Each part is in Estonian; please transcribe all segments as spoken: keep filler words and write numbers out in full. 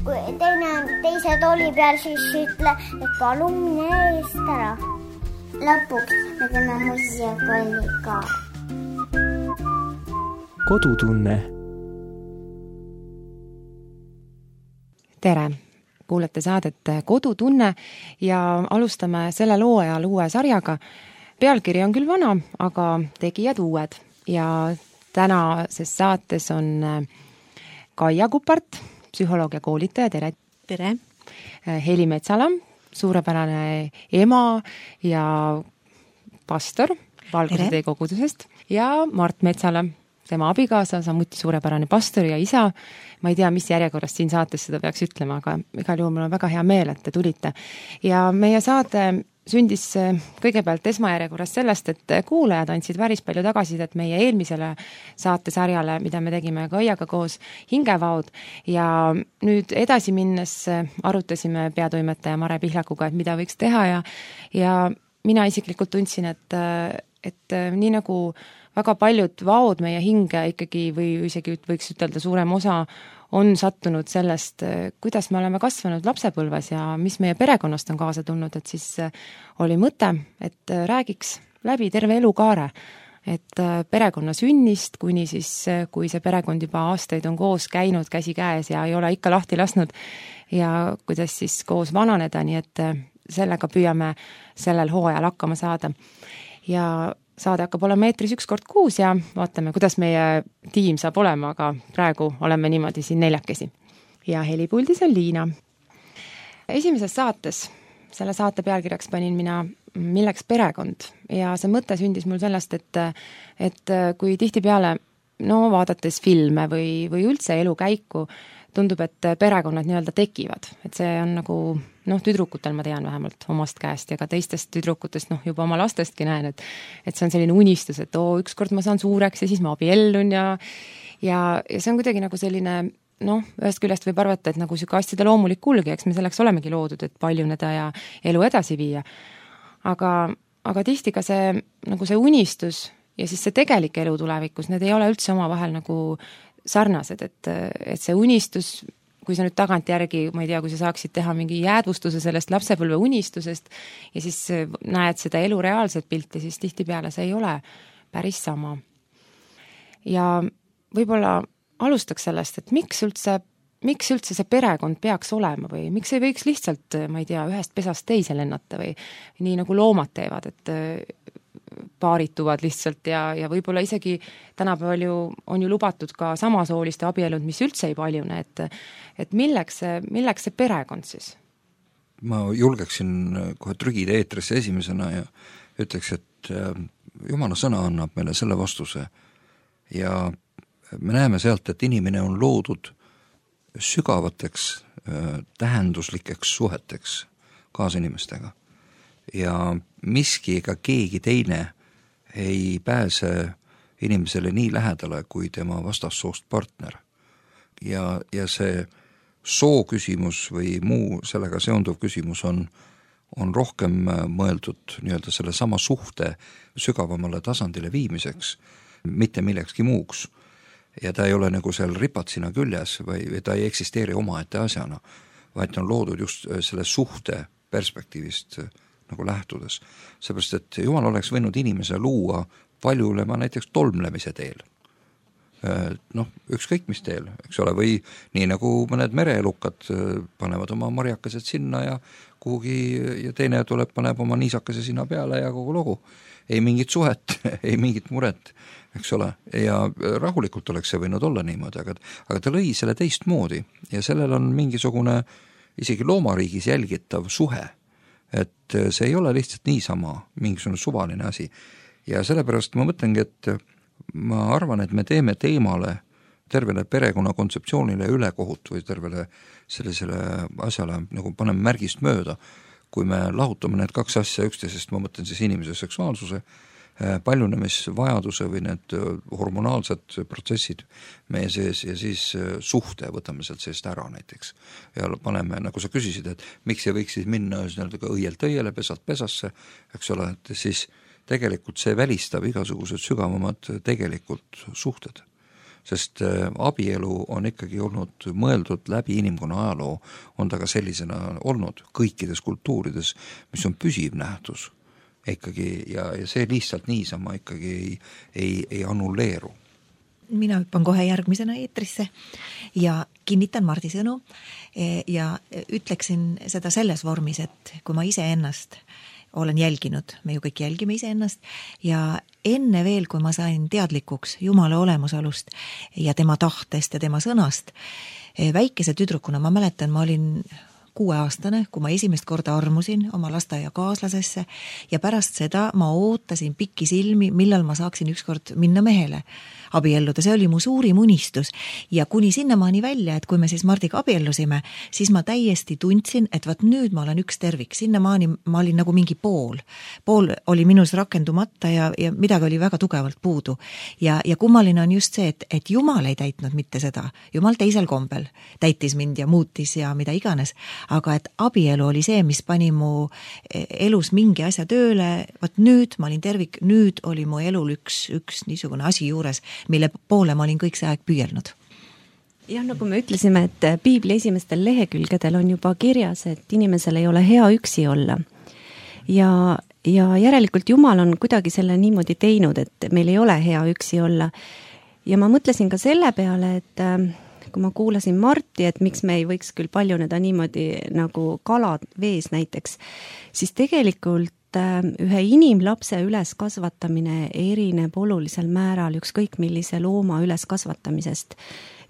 kui teine on teise tooli peal, siis ütle, et palun mine eest ära. Lõpuks me teeme muusikakolli ka. Kodutunne. Tere! Kuulete saadet Kodutunne ja alustame selle loo ajal uue sarjaga. Pealkiri on küll vana, aga tegijad uued. Ja tänases saates on Kaia Kupart, psühholoog ja koolitaja, tere! Tere! Heli Metsala, suurepärane ema ja pastor Valguse tee kogudusest ja Mart Metsala, tema abikaasa, samuti suurepärane pastor ja isa. Ma ei tea, mis järjekorrast siin saates seda peaks ütlema, aga igal juhul mul on väga hea meel, et te tulite. Ja meie saade sündis kõigepealt esmajärjekorrast sellest, et kuulajad andsid päris palju tagasidet meie eelmisele saatesarjale, mida me tegime Kaiaga koos Hingevaod. Ja nüüd edasi minnes arutasime peatoimetaja Mare Pihlakuga, et mida võiks teha ja, ja mina isiklikult tundsin, et, et nii nagu väga paljud vaod meie hinge ikkagi või isegi võiks ütelda suurem osa on sattunud sellest, kuidas me oleme kasvanud lapsepõlves ja mis meie perekonnast on kaasa tulnud, et siis oli mõte, et räägiks läbi terve elukaare, et perekonna sünnist, kuni siis, kui see perekond juba aastaid on koos käinud käsi käes ja ei ole ikka lahti lasknud ja kuidas siis koos vananeda, nii et sellega püüame sellel hooajal hakkama saada. Ja saade hakkab olema meetris üks kord kuus ja vaatame, kuidas meie tiim saab olema, aga praegu oleme niimoodi siin neljakesi. Ja helipuldis on Liina. Esimeses saates, selle saate pealkirjaks panin mina milleks perekond ja see mõte sündis mul sellest, et, et kui tihtipeale no, vaadates filme või, või üldse elu käiku, tundub, et perekonnad nii-öelda tekivad, et see on nagu noh, tüdrukutel ma tean vähemalt omast käest ja ka teistest tüdrukutest, noh, juba oma lastestki näen, et, et see on selline unistus, et oo, ükskord ma saan suureks ja siis ma abiellun ja, ja, ja see on kuidagi nagu selline, noh, ühest küljest võib arvata, et nagu siuke asjade loomulik kulgi, eks me selleks olemegi loodud, et paljuneda ja elu edasi viia. Aga, aga tihti ka see, nagu see unistus ja siis see tegelik elu tulevikus, need ei ole üldse oma vahel nagu sarnased, et, et see unistus, kui sa nüüd tagant järgi, ma ei tea, kui sa saaksid teha mingi jäädvustuse sellest lapsepõlve unistusest ja siis näed seda elu reaalset pilti, siis tihtipeale see ei ole päris sama. Ja võib-olla alustaks sellest, et miks üldse, miks üldse see perekond peaks olema või miks ei võiks lihtsalt, ma ei tea, ühest pesast teise lennata või nii nagu loomad teevad, et paarituvad lihtsalt ja, ja võib-olla isegi tänapäeval ju on ju lubatud ka samasooliste abielud, mis üldse ei paljune, et, et milleks, milleks see perekond siis? Ma julgeksin kohe trügida eetrisse esimesena ja ütleks, et Jumala sõna annab meile selle vastuse ja me näeme sealt, et inimene on loodud sügavateks tähenduslikeks suheteks kaasinimestega. Ja miski ega keegi teine ei pääse inimesele nii lähedale kui tema vastassoost partner. Ja, ja see soo küsimus või muu sellega seonduv küsimus on, on rohkem mõeldud nii-öelda selle sama suhte sügavamale tasandile viimiseks, mitte millekski muuks. Ja ta ei ole nagu seal ripatsina küljes või, või ta ei eksisteeri omaette asjana, vaid ta on loodud just selle suhte perspektiivist nagu lähtudes. Seepärast, et Jumal oleks võinud inimese luua paljulema näiteks tolmlemise teel. Noh, ükskõik mis teel, eks ole, või nii nagu mõned mereelukad panevad oma marjakesed sinna ja kuhugi ja teine tuleb, paneb oma niisakese sinna peale ja kogu lugu. Ei mingit suhet, ei mingit muret, eks ole, ja rahulikult oleks see võinud olla niimoodi, aga, aga ta lõi selle teistmoodi ja sellel on mingisugune isegi loomariigis jälgitav suhe, et see ei ole lihtsalt niisama mingisugune suvaline asi. Ja sellepärast ma mõtlengi, et ma arvan, et me teeme teemale, tervele perekonna kontseptsioonile ülekohut või tervele sellisele asjale nagu paneme märgist mööda, kui me lahutame need kaks asja üksteisest, ma mõtlen siis inimese seksuaalsuse, paljunemisvajaduse või need hormonaalsed protsessid meie sees ja siis suhte võtame sealt seest ära näiteks. Ja paneme, nagu sa küsisid, et miks ei võiks siis minna õielt õiele, pesalt pesasse, eks ole, et siis tegelikult see välistab igasugused sügavamad tegelikult suhted. sest abielu on ikkagi olnud mõeldud läbi inimkonna ajaloo, on ta ka sellisena olnud kõikides kultuurides, mis on püsiv nähtus ikkagi ja, ja see lihtsalt niisama ikkagi ei, ei, ei annulleeru. Mina hüppan kohe järgmisena eetrisse ja kinnitan Mardi sõnu ja ütleksin seda selles vormis, et kui ma ise ennast olen jälginud, me ju kõik jälgime ise ennast ja enne veel, kui ma sain teadlikuks Jumala olemasolust ja tema tahtest ja tema sõnast, väikese tüdrukuna ma mäletan, ma olin kuueaastane, kui ma esimest korda armusin oma lasteaia kaaslasesse ja pärast seda ma ootasin pikki silmi, millal ma saaksin ükskord minna mehele abielluda, see oli mu suurim unistus ja kuni sinnamaani välja, et kui me siis Mardiga abiellusime, siis ma täiesti tundsin, et vaat nüüd ma olen üks tervik, sinnamaani ma olin nagu mingi pool, pool oli minus rakendumata ja, ja midagi oli väga tugevalt puudu ja, ja kummaline on just see, et, et Jumal ei täitnud mitte seda, Jumal teisel kombel täitis mind ja muutis ja mida iganes, aga et abielu oli see, mis pani mu elus mingi asja tööle, vaat nüüd ma olin tervik, nüüd oli mu elul üks, üks niisugune asi juures, mille poole ma olin kõik see aeg püüelnud. Jah, nagu me ütlesime, et Piibli esimestel lehekülgedel on juba kirjas, et inimesel ei ole hea üksi olla. Ja, ja järelikult Jumal on kuidagi selle niimoodi teinud, et meil ei ole hea üksi olla. Ja ma mõtlesin ka selle peale, et kui ma kuulasin Marti, et miks me ei võiks küll paljuneda niimoodi nagu kalad vees näiteks, siis tegelikult ühe inimlapse üles kasvatamine erineb olulisel määral ükskõik millise looma üles kasvatamisest.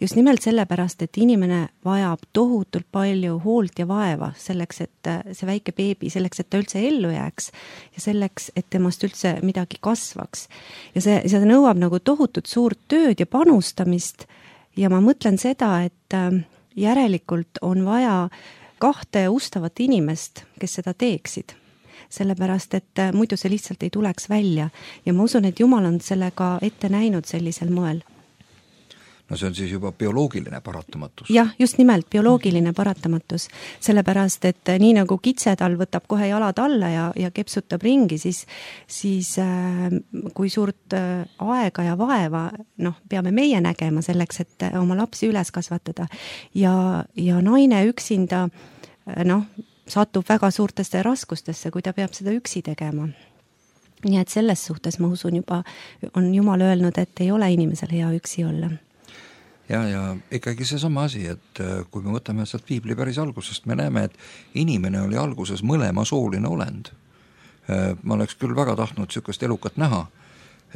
Just nimelt sellepärast, et inimene vajab tohutult palju hoolt ja vaeva selleks, et see väike beebi, selleks, et ta üldse ellu jääks ja selleks, et temast üldse midagi kasvaks. Ja see, see nõuab nagu tohutut suurt tööd ja panustamist ja ma mõtlen seda, et järelikult on vaja kahte ustavat inimest, kes seda teeksid. Sellepärast, et muidu see lihtsalt ei tuleks välja ja ma usun, et Jumal on sellega ette näinud sellisel moel. No see on siis juba bioloogiline paratamatus. Jah, just nimelt bioloogiline paratamatus, sellepärast, et nii nagu kitse tal võtab kohe jalad alla ja, ja kepsutab ringi, siis, siis äh, kui suurt äh, aega ja vaeva noh, peame meie nägema selleks, et oma lapsi üles kasvatada ja, ja naine üksinda äh, noh, satub väga suurtesse raskustesse, kui ta peab seda üksi tegema. Nii et selles suhtes ma usun juba, on Jumal öelnud, et ei ole inimesel hea üksi olla. Ja, ja ikkagi see sama asi, et kui me võtame sealt Piibli päris algusest, me näeme, et inimene oli alguses mõlema sooline olend. Ma oleks küll väga tahtnud sükast elukat näha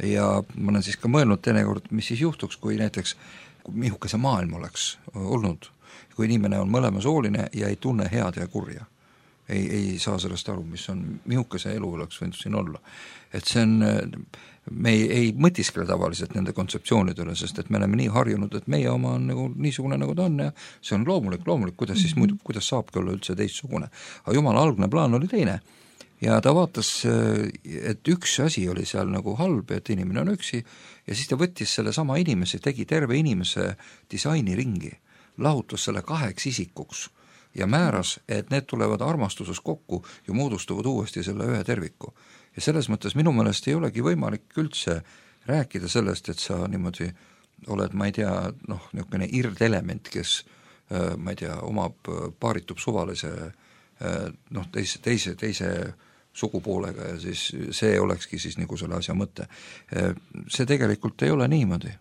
ja ma olen siis ka mõelnud teinekord, mis siis juhtuks, kui näiteks mihuke see maailm oleks olnud, kui inimene on mõlema sooline ja ei tunne head ja kurja. Ei, ei saa sellest aru, mis on, mihuke see elu oleks võinud siin olla. Et see on, me ei, ei mõtiskle tavaliselt nende kontseptsioonidele, sest et me oleme nii harjunud, et meie oma on nagu niisugune, nagu ta on ja see on loomulik, loomulik, kuidas siis muidu, kuidas saabki olla üldse teistsugune. Aga Jumala algne plaan oli teine ja ta vaatas, et üks asi oli seal nagu halb, et inimene on üksi ja siis ta võttis selle sama inimese, tegi terve inimese disaini ringi, lahutus selle kaheks isikuks ja määras, et need tulevad armastuses kokku ja moodustuvad uuesti selle ühe terviku. Ja selles mõttes minu meelest ei olegi võimalik üldse rääkida sellest, et sa niimoodi oled, ma ei tea, noh, niisugune irdelement, kes, ma ei tea, omab, paaritub suvalise, noh, teise, teise, teise sugupoolega ja siis see olekski siis nagu selle asja mõte. See tegelikult ei ole niimoodi.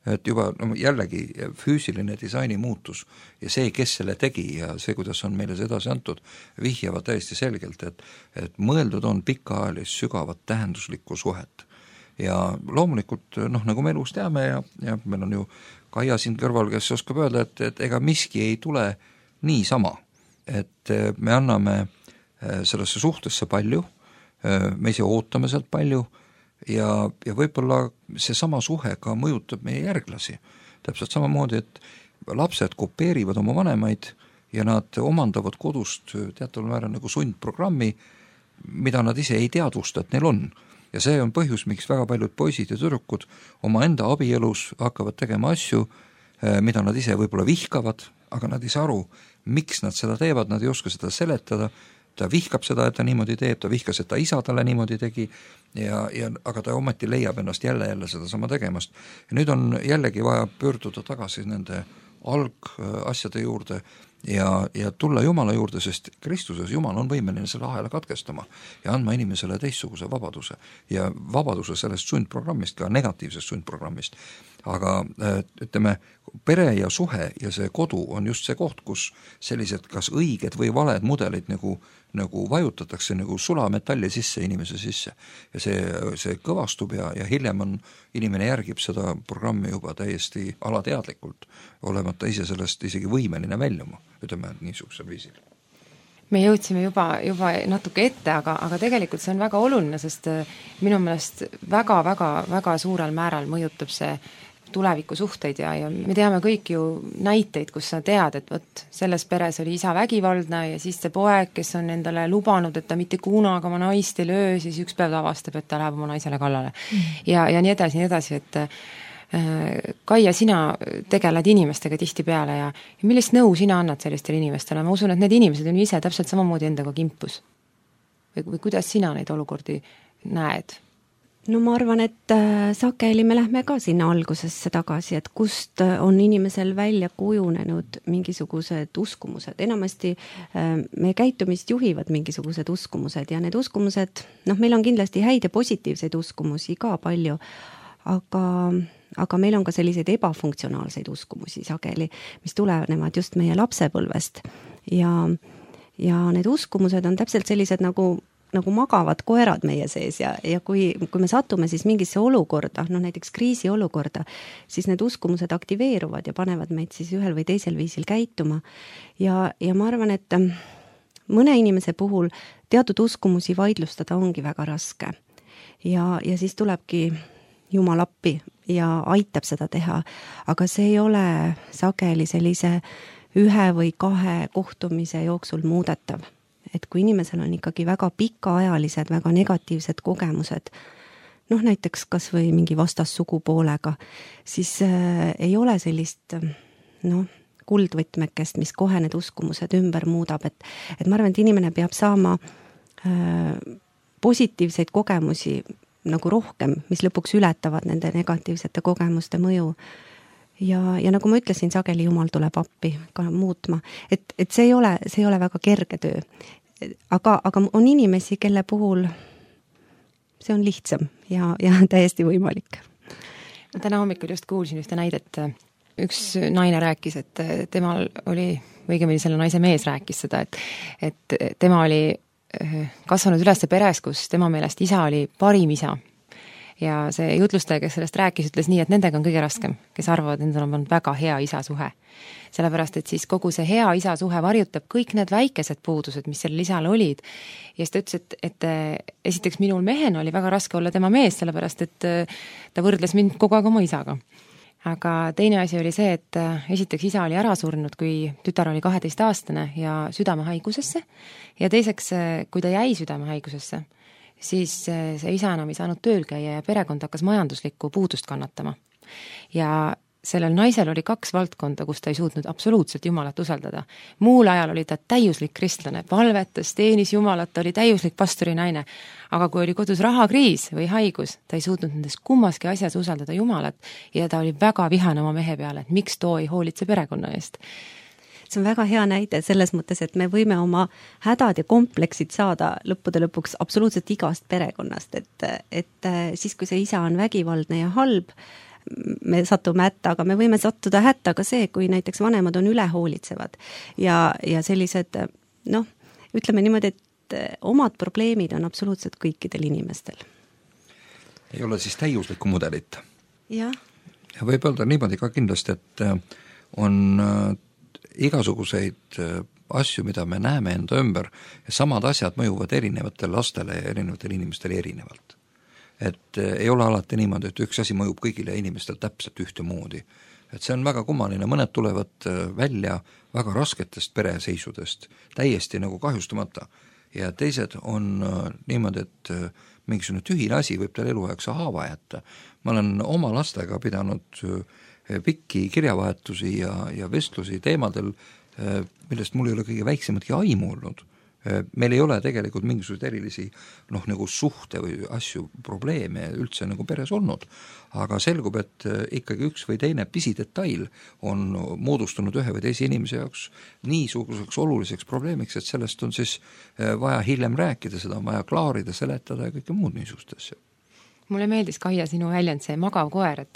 Et juba no, jällegi füüsiline disaini muutus ja see, kes selle tegi ja see, kuidas on meile see edasi antud, vihjavad täiesti selgelt, et, et mõeldud on pikaajalist sügavat tähenduslikku suhet. Ja loomulikult, noh, nagu me elus teame ja, ja meil on ju Kaia siin kõrval, kes oskab öelda, et, et ega miski ei tule niisama. Et me anname sellesse suhtesse palju, me ise ootame sealt palju, ja, ja võib-olla see sama suhe ka mõjutab meie järglasi. Täpselt samamoodi, et lapsed kopeerivad oma vanemaid ja nad omandavad kodust teataval määral nagu sundprogrammi, mida nad ise ei teadvusta, et neil on. Ja see on põhjus, miks väga paljud poisid ja tüdrukud oma enda abielus hakkavad tegema asju, mida nad ise võib-olla vihkavad, aga nad ei saa aru, miks nad seda teevad, nad ei oska seda seletada ta vihkab seda, et ta niimoodi teeb, ta vihkas, et ta isa talle niimoodi tegi ja, ja aga ta ometi leiab ennast jälle jälle seda sama tegemast. Ja nüüd on jällegi vaja pöörduda tagasi nende algasjade juurde ja, ja tulla Jumala juurde, sest Kristuses Jumal on võimeline selle ahela katkestama ja andma inimesele teistsuguse vabaduse ja vabaduse sellest sundprogrammist, ka negatiivsest sundprogrammist. Aga ütleme, pere ja suhe ja see kodu on just see koht, kus sellised kas õiged või valed mudelid nagu, nagu vajutatakse nagu sulametalli sisse inimese sisse ja see, see kõvastub ja, ja hiljem on, inimene järgib seda programmi juba täiesti alateadlikult, olemata ise sellest isegi võimeline väljuma, ütleme niisugusel viisil. Me jõudsime juba, juba natuke ette, aga, aga tegelikult see on väga oluline, sest minu meelest väga, väga, väga suurel määral mõjutab see tuleviku suhteid ja, ja me teame kõik ju näiteid, kus sa tead, et võt, selles peres oli isa vägivaldne ja siis see poeg, kes on endale lubanud, et ta mitte kunagi oma naist ei löö, siis üks päev avastab, et ta läheb oma naisele kallale. Mm. Ja, ja nii edasi, nii edasi, et äh, Kaia, sina tegeled inimestega tihtipeale ja, ja millist nõu sina annad sellistele inimestele? Ma usun, et need inimesed on ise täpselt samamoodi endaga kimpus. Või, või kuidas sina neid olukordi näed? No ma arvan, et äh, sageli me lähme ka sinna algusesse tagasi, et kust on inimesel välja kujunenud mingisugused uskumused. Enamasti äh, me käitumist juhivad mingisugused uskumused ja need uskumused, noh, meil on kindlasti häid ja positiivseid uskumusi ka palju, aga, aga meil on ka selliseid ebafunktsionaalseid uskumusi sageli, mis tulenevad just meie lapsepõlvest. Ja, ja need uskumused on täpselt sellised nagu nagu magavad koerad meie sees ja, ja kui, kui me satume siis mingisse olukorda, no näiteks kriisi olukorda, siis need uskumused aktiveeruvad ja panevad meid siis ühel või teisel viisil käituma. Ja, ja ma arvan, et mõne inimese puhul teatud uskumusi vaidlustada ongi väga raske. Ja, ja siis tulebki Jumal appi ja aitab seda teha, aga see ei ole sageli sellise ühe või kahe kohtumise jooksul muudetav. Et kui inimesel on ikkagi väga pikaajalised, väga negatiivsed kogemused, noh näiteks kas või mingi vastassugupoolega, siis äh, ei ole sellist noh, kuldvõtmekest, mis kohe need uskumused ümber muudab, et, et ma arvan, et inimene peab saama äh, positiivseid kogemusi nagu rohkem, mis lõpuks ületavad nende negatiivsete kogemuste mõju. Ja, ja nagu ma ütlesin, sageli Jumal tuleb appi ka muutma, et, et see ei ole, see ei ole väga kerge töö. Aga, aga on inimesi, kelle puhul see on lihtsam ja, ja täiesti võimalik. Ma täna hommikul just kuulsin ühte näidet. Üks naine rääkis, et temal oli, õigemini selle naise mees rääkis seda, et, et tema oli kasvanud üles peres, kus tema meelest isa oli parim isa. Ja see jutlustaja, kes sellest rääkis, ütles nii, et nendega on kõige raskem, kes arvavad, et nendel on väga hea isa suhe. Sellepärast, et siis kogu see hea isa suhe varjutab kõik need väikesed puudused, mis sellel isal olid. Ja siis ta ütles, et, et esiteks minul mehena oli väga raske olla tema mees, sellepärast, et ta võrdles mind kogu aeg oma isaga. Aga teine asi oli see, et esiteks isa oli ära surnud, kui tütar oli kaheteistaastane ja südamehaigusesse. Ja teiseks, kui ta jäi südamehaigusesse, siis see isa enam ei saanud tööl käia ja perekond hakkas majanduslikku puudust kannatama. Ja sellel naisel oli kaks valdkonda, kus ta ei suutnud absoluutselt Jumalat usaldada. Muul ajal oli ta täiuslik kristlane, palvetas, teenis Jumalat, ta oli täiuslik pastori naine. Aga kui oli kodus rahakriis või haigus, ta ei suutnud nendes kummaski asjas usaldada Jumalat ja ta oli väga vihane oma mehe peale, et miks too ei hoolitse perekonna eest. See on väga hea näide selles mõttes, et me võime oma hädad ja kompleksid saada lõppude lõpuks absoluutselt igast perekonnast, et, et siis, kui see isa on vägivaldne ja halb, me satume hätta, aga me võime sattuda hätta ka see, kui näiteks vanemad on ülehoolitsevad ja, ja sellised, noh, ütleme niimoodi, et omad probleemid on absoluutselt kõikidel inimestel. Ei ole siis täiuslikku mudelit. Ja. Ja võib öelda niimoodi ka kindlasti, et on igasuguseid asju, mida me näeme enda ümber ja samad asjad mõjuvad erinevatele lastele ja erinevatele inimestele erinevalt. Et ei ole alati niimoodi, et üks asi mõjub kõigile inimestel täpselt ühtemoodi. Et see on väga kummaline, mõned tulevad välja väga rasketest pereseisudest, täiesti nagu kahjustamata ja teised on niimoodi, et mingisugune tühine asi võib tal eluaegse haava jätta. Ma olen oma lastega pidanud pikki kirjavahetusi ja, ja vestlusi teemadel, millest mul ei ole kõige väiksematki aimu olnud. meil ei ole tegelikult mingisuguseid erilisi noh, nagu suhte või asju, probleeme üldse nagu peres olnud, aga selgub, et ikkagi üks või teine pisidetail on moodustunud ühe või teise inimese jaoks niisuguseks oluliseks probleemiks, et sellest on siis vaja hiljem rääkida, seda on vaja klaarida, seletada ja kõike muud niisugust asja. Mulle meeldis, Kaia, sinu väljend, see magav koer, et,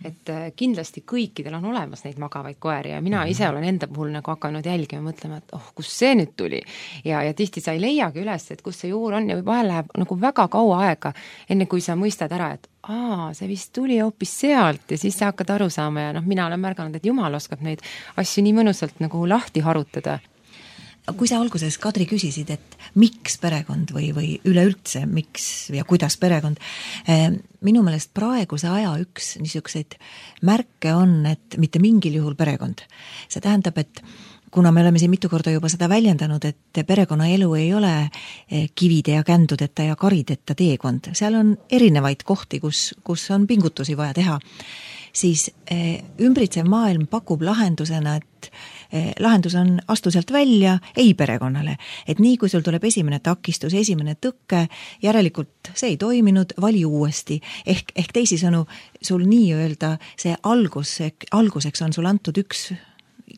et kindlasti kõikidel on olemas neid magavaid koeri ja mina ise olen enda puhul nagu hakanud jälgima, mõtlema, et oh, kus see nüüd tuli. Ja, ja tihti sa ei leiagi üles, et kus see juur on ja vahel läheb nagu väga kaua aega, enne kui sa mõistad ära, et aa, see vist tuli hoopis sealt ja siis sa hakkad aru saama ja noh, mina olen märganud, et Jumal oskab neid asju nii mõnusalt nagu lahti harutada. Kui sa alguses, Kadri, küsisid, et miks perekond või, või üleüldse, miks ja kuidas perekond, minu meelest praeguse aja üks niisuguseid märke on, et mitte mingil juhul perekond. See tähendab, et kuna me oleme siin mitu korda juba seda väljendanud, et perekonnaelu ei ole kivide ja kändudeta ja karideta teekond, seal on erinevaid kohti, kus, kus on pingutusi vaja teha, siis ümbritsev maailm pakub lahendusena, et lahendus on astu sealt välja ei perekonnale. Et nii, kui sul tuleb esimene takistus, esimene tõkke, järelikult see ei toiminud, vali uuesti. Ehk, ehk teisisõnu, sul nii-öelda see algus, alguseks on sul antud üks,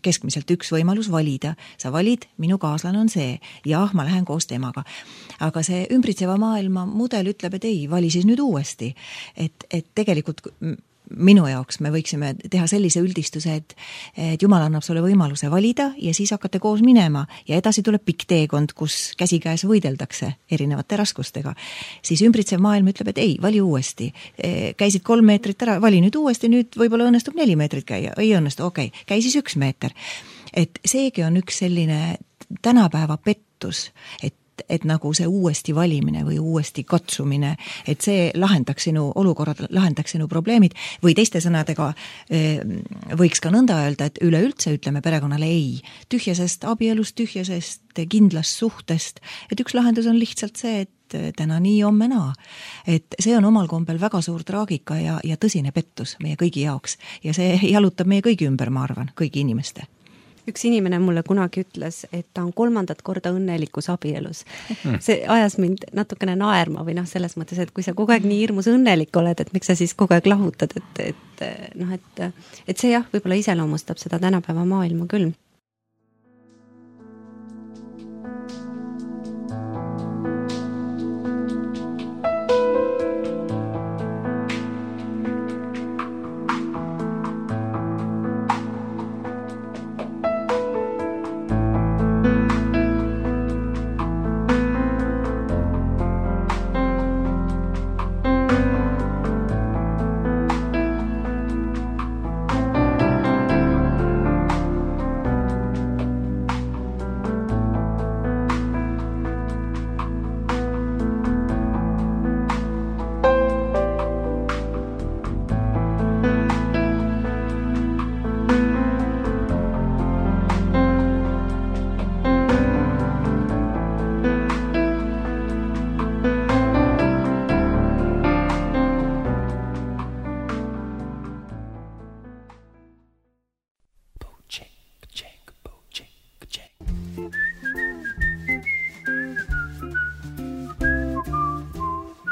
keskmiselt üks võimalus valida. Sa valid, minu kaaslane on see. Jah, ma lähen koos temaga. Aga see ümbritseva maailma mudel ütleb, et ei, vali siis nüüd uuesti. Et, et tegelikult minu jaoks me võiksime teha sellise üldistuse, et, et Jumal annab sulle võimaluse valida ja siis hakata koos minema ja edasi tuleb pikk teekond, kus käsikäes võideldakse erinevate raskustega. Siis ümbritsev maailm ütleb, et ei, vali uuesti. Käisid kolm meetrit ära, vali nüüd uuesti, nüüd võib-olla õnnestub neli meetrit käia, ei õnnestu, okei, okay. Käi siis üks meeter. Et seegi on üks selline tänapäeva pettus, et et nagu see uuesti valimine või uuesti katsumine, et see lahendaks sinu olukorrad, lahendaks sinu probleemid või teiste sõnadega võiks ka nõnda öelda, et üleüldse ütleme perekonnale ei. Tühjasest abielust, tühjasest kindlast suhtest, et üks lahendus on lihtsalt see, et täna nii, homme naa. Et see on omal kombel väga suur traagika ja, ja tõsine pettus meie kõigi jaoks ja see jalutab meie kõigi ümber, ma arvan, kõigi inimeste. Üks inimene mulle kunagi ütles, et ta on kolmandat korda õnnelikus abielus. See ajas mind natukene naerma või noh, selles mõttes, et kui sa kogu aeg nii hirmus õnnelik oled, et miks sa siis kogu aeg lahutad, et, et, noh, et, et see jah, võib-olla iseloomustab seda tänapäeva maailma küll.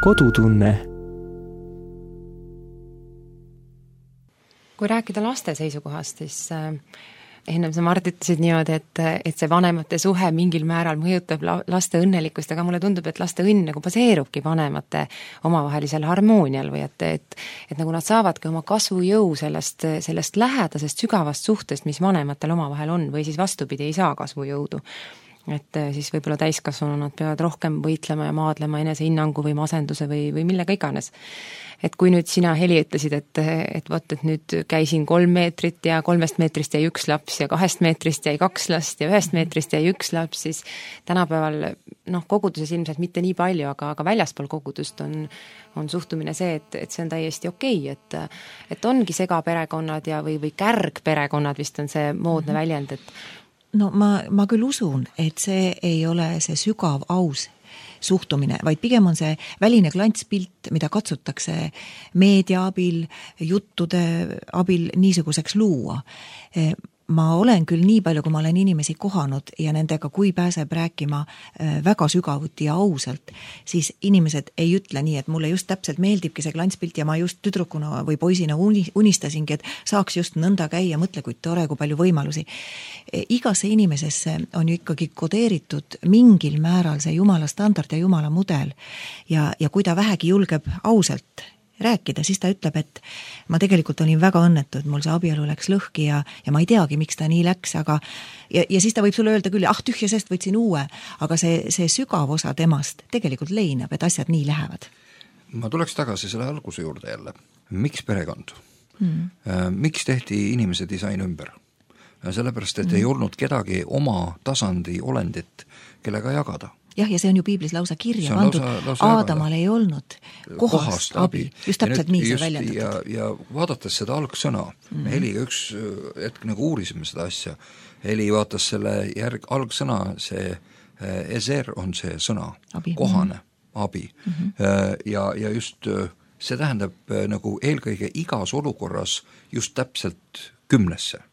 Kodutunne. Kui rääkida laste seisukohast, siis ennem sa Mart ütlesid niimoodi, et, et see vanemate suhe mingil määral mõjutab laste õnnelikkust, aga mulle tundub, et laste õnn nagu baseerubki vanemate omavahelisel harmoonial või et, et, et nagu nad saavadki oma kasvujõu sellest, sellest lähedasest sügavast suhtest, mis vanematel omavahel on või siis vastupidi ei saa kasvujõudu. Et siis võib-olla täiskasvanu nad peavad rohkem võitlema ja maadlema enesehinnangu või masenduse või, või millega iganes. Et kui nüüd sina, Heli, ütlesid, et, et võt, et nüüd käisin kolm meetrit ja kolmest meetrist jäi üks laps ja kahest meetrist jäi kaks last ja ühest meetrist jäi üks laps, siis tänapäeval noh, koguduses ilmselt mitte nii palju, aga, aga väljaspool kogudust on, on suhtumine see, et, et see on täiesti okei, et, et ongi segaperekonnad ja, või, või kärgperekonnad vist on see moodne mm-hmm. väljend, et no ma, ma küll usun, et see ei ole see sügav aus suhtumine, vaid pigem on see väline klantspilt, mida katsutakse meedia abil, juttude abil niisuguseks luua. ma olen küll nii palju, kui ma olen inimesi kohanud ja nendega, kui pääseb rääkima väga sügavuti ja ausalt, siis inimesed ei ütle nii, et mulle just täpselt meeldibki see klantspilt ja ma just tüdrukuna või poisina unistasingi, et saaks just nõnda käia, mõtle, kui tore, kui palju võimalusi. Igasse inimesesse on ju ikkagi kodeeritud mingil määral see Jumala standard ja Jumala mudel ja, ja kui ta vähegi julgeb ausalt rääkida, siis ta ütleb, et ma tegelikult olin väga õnnetu, et mul see abielu läks lõhki ja, ja ma ei teagi, miks ta nii läks, aga ja, ja siis ta võib sulle öelda küll, ah tühja sest võtsin uue, aga see, see sügav osa temast tegelikult leinab, et asjad nii lähevad. Ma tuleks tagasi selle alguse juurde jälle. Miks perekond? Mm. Miks tehti inimese disain ümber? Sellepärast, et mm. ei olnud kedagi oma tasandi olendit, kellega jagada. Jah, ja see on ju piiblis lausa kirja pandud, Aadamal ei olnud kohast, kohast abi. abi. Just täpselt nii see väljendatud. Ja, ja vaadates seda algsõna, mm. me Heliga üks hetk nagu uurisime seda asja, Heli vaatas selle järg, algsõna, see eser on see sõna, abi. Kohane, abi. Mm-hmm. Ja, ja just see tähendab nagu eelkõige igas olukorras just täpselt kümnesse.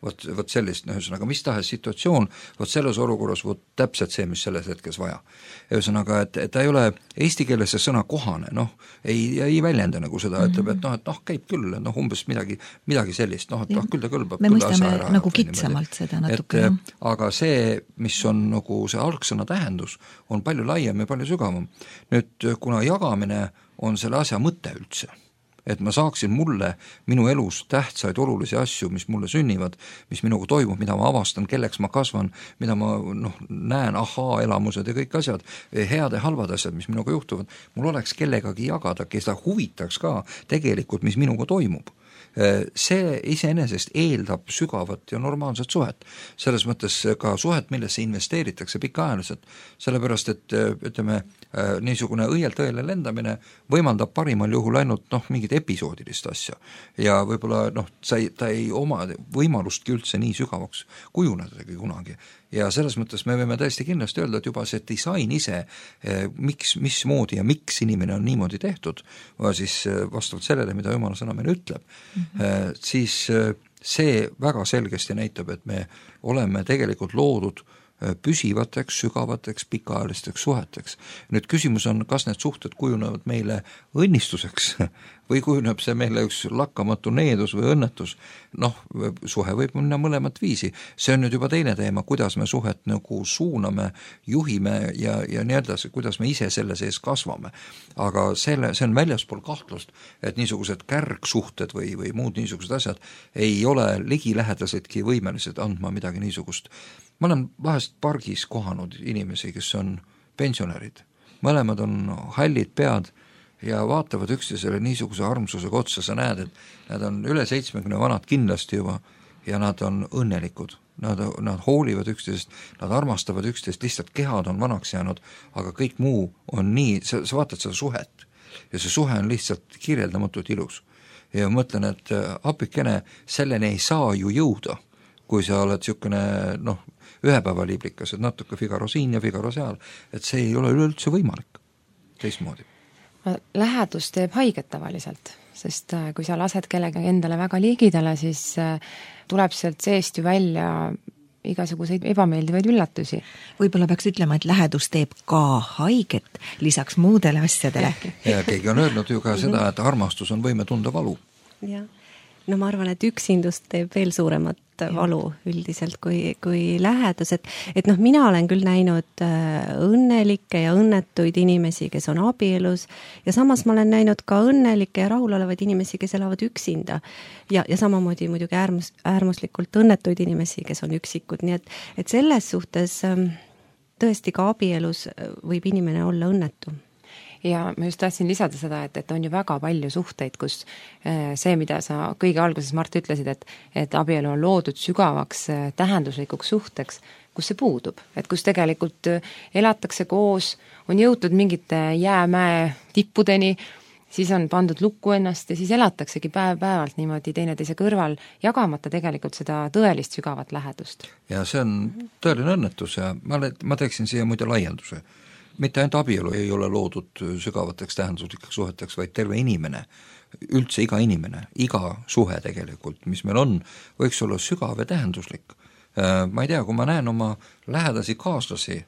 Vot, vot sellist, ühesõnaga, mis tahes situatsioon, vot selles olukorras vot täpselt see, mis selles hetkes vaja. Ühesõnaga, et, et ta ei ole eesti keeles see sõna kohane, noh, ei, ei väljenda nagu seda, ütleb, et noh, et noh, käib küll, noh, umbes midagi, midagi sellist, noh, et noh, küll ta kõlbab. Me mõistame nagu kitsamalt seda natuke. Et, aga see, mis on nagu see algsõna tähendus, on palju laiem ja palju sügavam. Nüüd, kuna jagamine on selle asja mõte üldse, et ma saaksin mulle minu elus tähtsaid olulisi asju, mis mulle sünnivad, mis minuga toimub, mida ma avastan, kelleks ma kasvan, mida ma noh, näen, ahaa, elamused ja kõik asjad, head ja halvad asjad, mis minuga juhtuvad, mul oleks kellegagi jagada, kes ta huvitaks ka tegelikult, mis minuga toimub. See iseenesest eeldab sügavat ja normaalset suhet. Selles mõttes ka suhet, millesse investeeritakse pikaajaliselt, sellepärast et ütleme, niisugune õielt õele lendamine võimaldab parimal juhul ainult noh, mingit episoodilist asja ja võib-olla noh, ta ei, ta ei oma võimalustki üldse nii sügavaks kujunedagi kunagi. Ja selles mõttes me võime täiesti kindlasti öelda, et juba see disain ise, miks, mismoodi ja miks inimene on niimoodi tehtud, siis vastavalt sellele, mida Jumala sõna meile ütleb, mm-hmm. siis see väga selgesti näitab, et me oleme tegelikult loodud püsivateks, sügavateks, pikaajalisteks suheteks. Nüüd küsimus on, kas need suhted kujunevad meile õnnistuseks või kujuneb see meile üks lakkamatu needus või õnnetus. Noh, suhe võib minna mõlemat viisi. See on nüüd juba teine teema, kuidas me suhet nagu suuname, juhime ja, ja nii edasi, kuidas me ise selle sees kasvame. Aga selle, see on väljaspool kahtlust, et niisugused kärgsuhted või, või muud niisugused asjad ei ole ligilähedasedki võimelised andma midagi niisugust. Ma olen vahest pargis kohanud inimesi, kes on pensionärid. Mõlemad on hallid pead ja vaatavad üksteisele niisuguse armsusega otsa. Sa näed, et nad on üle seitsmekümne vanad kindlasti juba ja nad on õnnelikud. Nad, nad hoolivad üksteisest, nad armastavad üksteist, lihtsalt kehad on vanaks jäänud, aga kõik muu on nii, sa, sa vaatad seda suhet ja see suhe on lihtsalt kirjeldamatult ilus. Ja mõtlen, et apikene, selleni ei saa ju jõuda, kui sa oled niisugune noh, ühepäevaliiblikas, et natuke Figaro siin ja Figaro seal, et see ei ole üleüldse võimalik teistmoodi. Lähedus teeb haiget tavaliselt, sest kui sa lased kellegi endale väga liigidele, siis tuleb sealt seest ju välja igasuguseid ebameeldivaid üllatusi. Võib-olla peaks ütlema, et lähedus teeb ka haiget lisaks muudele asjadele. Ja keegi on öelnud ju ka seda, et armastus on võime tunda valu. Jah. No ma arvan, et üksindust teeb veel suuremat valu üldiselt kui, kui lähedus, et, et noh, mina olen küll näinud õnnelikke ja õnnetuid inimesi, kes on abielus ja samas ma olen näinud ka õnnelikke ja rahulolevaid inimesi, kes elavad üksinda ja, ja samamoodi muidugi äärmus, äärmuslikult õnnetuid inimesi, kes on üksikud, nii et, et selles suhtes tõesti ka abielus võib inimene olla õnnetu. Ja ma just tahtsin lisada seda, et, et on ju väga palju suhteid, kus see, mida sa kõige alguses, Mart, ütlesid, et, et abielu on loodud sügavaks tähenduslikuks suhteks, kus see puudub. Et kus tegelikult elatakse koos, on jõutud mingite jäämäe tippudeni, siis on pandud lukku ennast ja siis elataksegi päev-päevalt niimoodi teineteise kõrval, jagamata tegelikult seda tõelist sügavat lähedust. Ja see on tõeline õnnetus ja ma, ma teeksin siia muide laienduse. Mitte ainult abielu ei ole loodud sügavateks tähenduslikeks suheteks, vaid terve inimene üldse iga inimene, iga suhe tegelikult, mis meil on, võiks olla sügav ja tähenduslik. Ma ei tea, kui ma näen oma lähedasi kaaslasi,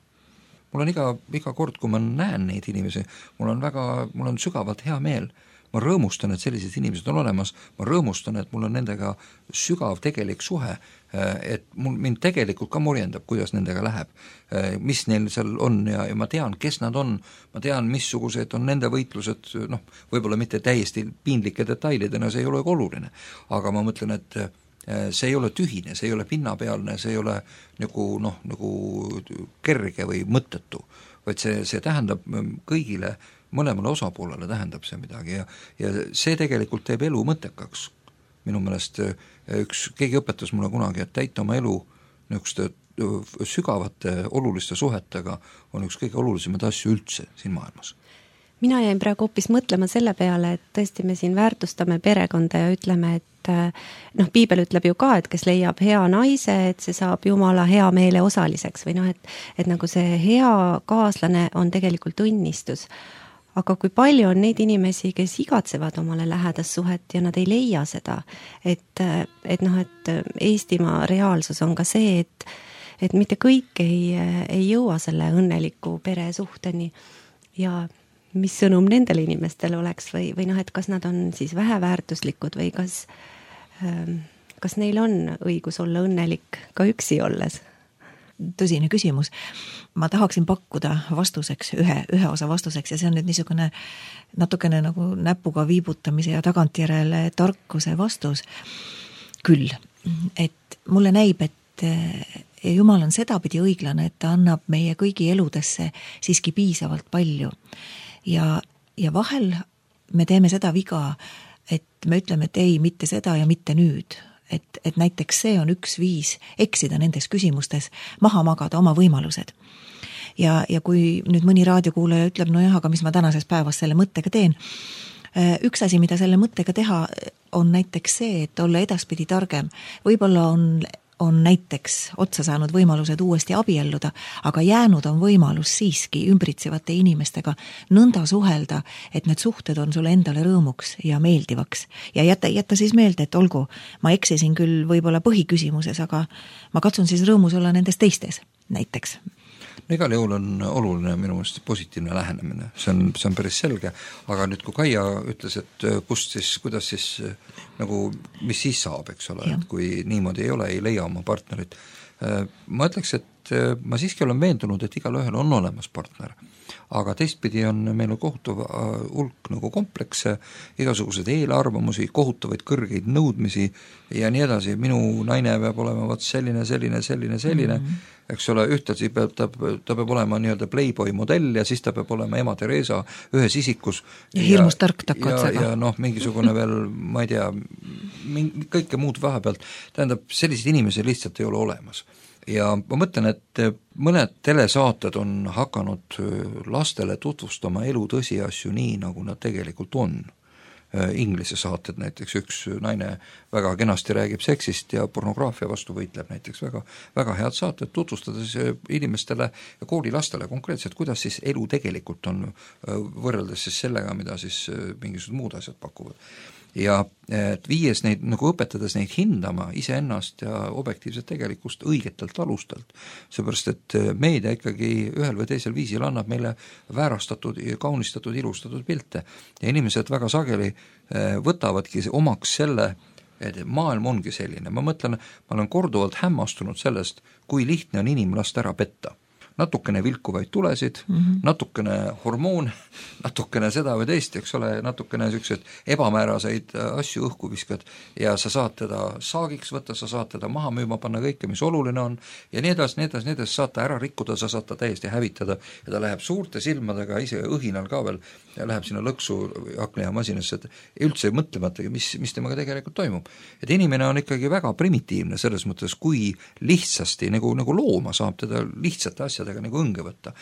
mul on iga, iga kord, kui ma näen neid inimesi, mul on väga, mul on sügavalt hea meel. Ma rõõmustan, et sellised inimesed on olemas, ma rõõmustan, et mul on nendega sügav tegelik suhe, et mul, mind tegelikult ka murjendab, kuidas nendega läheb, mis neil seal on ja, ja ma tean, kes nad on, ma tean, missugused on nende võitlused, noh, võib-olla mitte täiesti piinlike detailidena, see ei ole oluline, aga ma mõtlen, et see ei ole tühine, see ei ole pinnapealne, see ei ole nagu, noh, nagu kerge või mõttetu, vaid see, see tähendab kõigile mõlemale osapoolele tähendab see midagi ja, ja see tegelikult teeb elu mõttekaks. Minu meelest üks, keegi õpetas mulle kunagi, et täita oma elu niisuguste sügavate oluliste suhetega on üks kõige olulisemaid asju üldse siin maailmas. Mina jäin praegu hoopis mõtlema selle peale, et tõesti me siin väärtustame perekonda ja ütleme, et noh, piibel ütleb ju ka, et kes leiab hea naise, et see saab Jumala hea meele osaliseks või noh, et, et nagu see hea kaaslane on tegelikult õnnistus. Aga kui palju on neid inimesi, kes igatsevad omale lähedast suhet ja nad ei leia seda, et, et noh, et Eestimaa reaalsus on ka see, et, et mitte kõik ei, ei jõua selle õnneliku pere suhteni ja mis sõnum nendele inimestele oleks või, või noh, et kas nad on siis väheväärtuslikud või kas, kas neil on õigus olla õnnelik ka üksi olles? Tõsine küsimus. Ma tahaksin pakkuda vastuseks, ühe, ühe osa vastuseks ja see on nüüd niisugune natukene nagu näpuga viibutamise ja tagantjärele tarkuse vastus. Küll, et mulle näib, et Jumal on sedapidi õiglane, et ta annab meie kõigi eludesse siiski piisavalt palju. Ja, ja vahel me teeme seda viga, et me ütleme, et ei, mitte seda ja mitte nüüd. Et, et näiteks see on üks viis eksida nendes küsimustes, maha magada oma võimalused. Ja, ja kui nüüd mõni raadiokuulaja ütleb, no jah, aga mis ma tänases päevas selle mõttega teen, üks asi, mida selle mõttega teha, on näiteks see, et olla edaspidi targem. Võib-olla on, on näiteks otsa saanud võimalused uuesti abielluda, aga jäänud on võimalus siiski ümbritsevate inimestega nõnda suhelda, et need suhted on sulle endale rõõmuks ja meeldivaks. Ja jätta, jätta siis meelde, et olgu, ma eksisin küll võib-olla põhiküsimuses, aga ma katsun siis rõõmus olla nendes teistes näiteks. No igal juhul on oluline minu meelest positiivne lähenemine, see on, see on päris selge, aga nüüd kui Kaia ütles, et kust siis, kuidas siis nagu, mis siis saab, eks ole, et kui niimoodi ei ole, ei leia oma partnerit, ma ütleks, et ma siiski olen veendunud, et igal ühel on olemas partner, aga teistpidi on meil kohutav hulk nagu komplekse, igasugused eelarvamusi, kohutavaid kõrgeid nõudmisi ja nii edasi, minu naine peab olema vaat selline, selline, selline, selline, mm-hmm. eks ole, ühtlasi peab, ta, ta peab olema nii-öelda Playboy modell ja siis ta peab olema ema Teresa ühes isikus. Ja hirmus tark takk otsega. Ja, ja noh, mingisugune veel, ma ei tea, mingi, kõike muud vahepealt, tähendab, sellised inimesi lihtsalt ei ole olemas. Ja ma mõtlen, et mõned telesaated on hakanud lastele tutvustama elu tõsiasju nii, nagu nad tegelikult on. Inglise saated näiteks, üks naine väga kenasti räägib seksist ja pornograafia vastu võitleb näiteks väga, väga head saated, tutvustades inimestele ja koolilastele konkreetselt, kuidas siis elu tegelikult on võrreldes siis sellega, mida siis mingisugused muud asjad pakuvad. Ja et viies neid, nagu õpetades neid hindama iseennast ja objektiivset tegelikkust õigetelt alustelt, seepärast et meedia ikkagi ühel või teisel viisil annab meile väärastatud, kaunistatud, ilustatud pilte ja inimesed väga sageli võtavadki omaks selle, et maailm ongi selline. Ma mõtlen, ma olen korduvalt hämmastunud sellest, kui lihtne on inimlast ära petta. Natukene vilkuvaid tulesid, mm-hmm. natukene hormoon, natukene seda või teist, eks ole, natukene sellised ebamääraseid asju õhku viskad ja sa saad teda saagiks võtta, sa saad teda maha müüma, panna kõike, mis oluline on ja nii edasi, nii edasi, nii edasi, saad ta ära rikkuda, sa saad ta täiesti hävitada ja ta läheb suurte silmadega, ise õhinal ka veel, ja läheb sinna lõksu aknajamasinasse, et üldse mõtlematagi, mis, mis temaga tegelikult toimub. Et inimene on ikkagi väga primitiivne selles mõttes, kui lihtsasti, nagu, nagu looma saab teda lihtsate asjad nagu õnge võtta.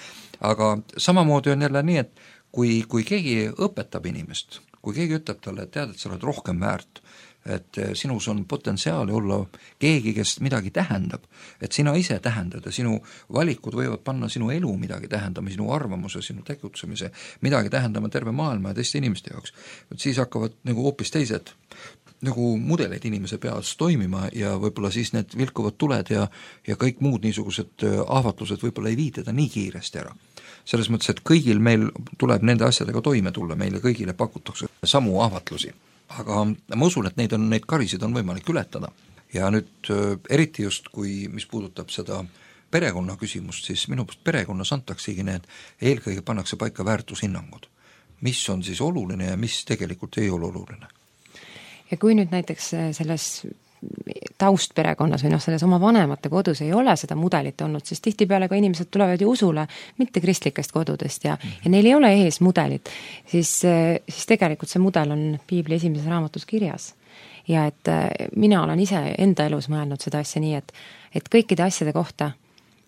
Aga samamoodi on jälle nii, et kui, kui keegi õpetab inimest, kui keegi ütleb talle, et tead, et sa oled rohkem väärt, et sinus on potentsiaali olla keegi, kes midagi tähendab, et sina ise tähendad ja sinu valikud võivad panna sinu elu midagi tähendama, sinu arvamuse, sinu tegutsemise, midagi tähendama terve maailma ja teiste inimeste jaoks. Et siis hakkavad nagu hoopis teised nagu mudeleid inimese peas toimima ja võib-olla siis need vilkuvad tuled ja, ja kõik muud niisugused ahvatlused võib-olla ei vii teda nii kiiresti ära. Selles mõttes, et kõigil meil tuleb nende asjadega toime tulla, meile kõigile pakutakse samu ahvatlusi. Aga ma usun, et neid, on, neid karisid on võimalik ületada. Ja nüüd eriti just, kui mis puudutab seda perekonna küsimust, siis minu poolt perekonnas antaksegi need, eelkõige pannakse paika väärtushinnangud. Mis on siis oluline ja mis tegelikult ei ole oluline. Ja kui nüüd näiteks selles taustperekonnas või noh, selles oma vanemate kodus ei ole seda mudelit olnud, siis tihtipeale ka inimesed tulevad ju usule mitte kristlikest kodudest ja, ja neil ei ole ees mudelit, siis, siis tegelikult see mudel on Piibli esimeses raamatus kirjas. Ja et mina olen ise enda elus mõelnud seda asja nii, et, et kõikide asjade kohta,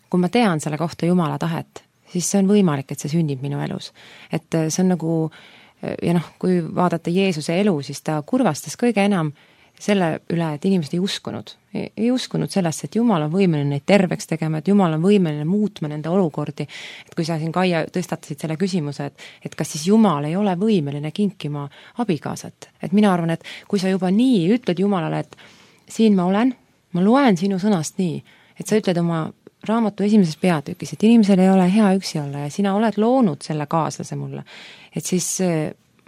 kui ma tean selle kohta Jumala tahet, siis see on võimalik, et see sünnib minu elus. Et see on nagu, ja noh, kui vaadata Jeesuse elu, siis ta kurvastas kõige enam selle üle, et inimesed ei uskunud. Ei, ei uskunud sellesse, et Jumal on võimeline neid terveks tegema, et Jumal on võimeline muutma nende olukordi. Et kui sa siin, Kaia, tõstatasid selle küsimuse, et, et kas siis Jumal ei ole võimeline kinkima abikaasat. Et mina arvan, et kui sa juba nii ütled Jumalale, et siin ma olen, ma loen sinu sõnast nii, et sa ütled oma raamatu esimeses peatükis, et inimesel ei ole hea üksi olla ja sina oled loonud selle kaaslase mulle. Et siis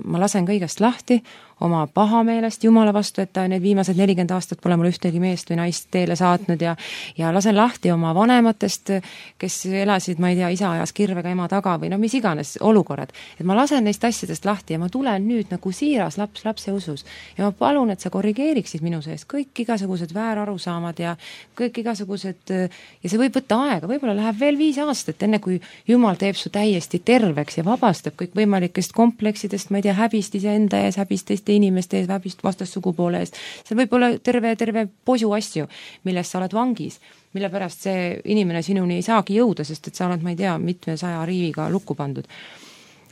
ma lasen kõigest lahti, oma pahameelest Jumala vastu, et ta need viimased nelikümmend aastat pole mul ühtegi meest või naist teele saatnud ja, ja lasen lahti oma vanematest, kes elasid, ma ei tea, isa ajas kirvega ema taga või no mis iganes olukorrad. Et ma lasen neist asjadest lahti ja ma tulen nüüd nagu siiras laps lapse usus ja ma palun, et sa korrigeeriksid minu sees kõik igasugused väärarusaamad ja kõik igasugused, ja see võib võtta aega, võib-olla läheb veel viis aastat, enne kui Jumal teeb su täiesti terveks ja vabastab kõik võimalikest kompleksidest, ma ei tea, häbist iseenda ees, häbist teiste inimeste ees, häbist vastassugupoole eest. See võib olla terve, terve posu asju, milles sa oled vangis, mille pärast see inimene sinuni ei saagi jõuda, sest et sa oled, ma ei tea, mitmesaja riiviga lukku pandud.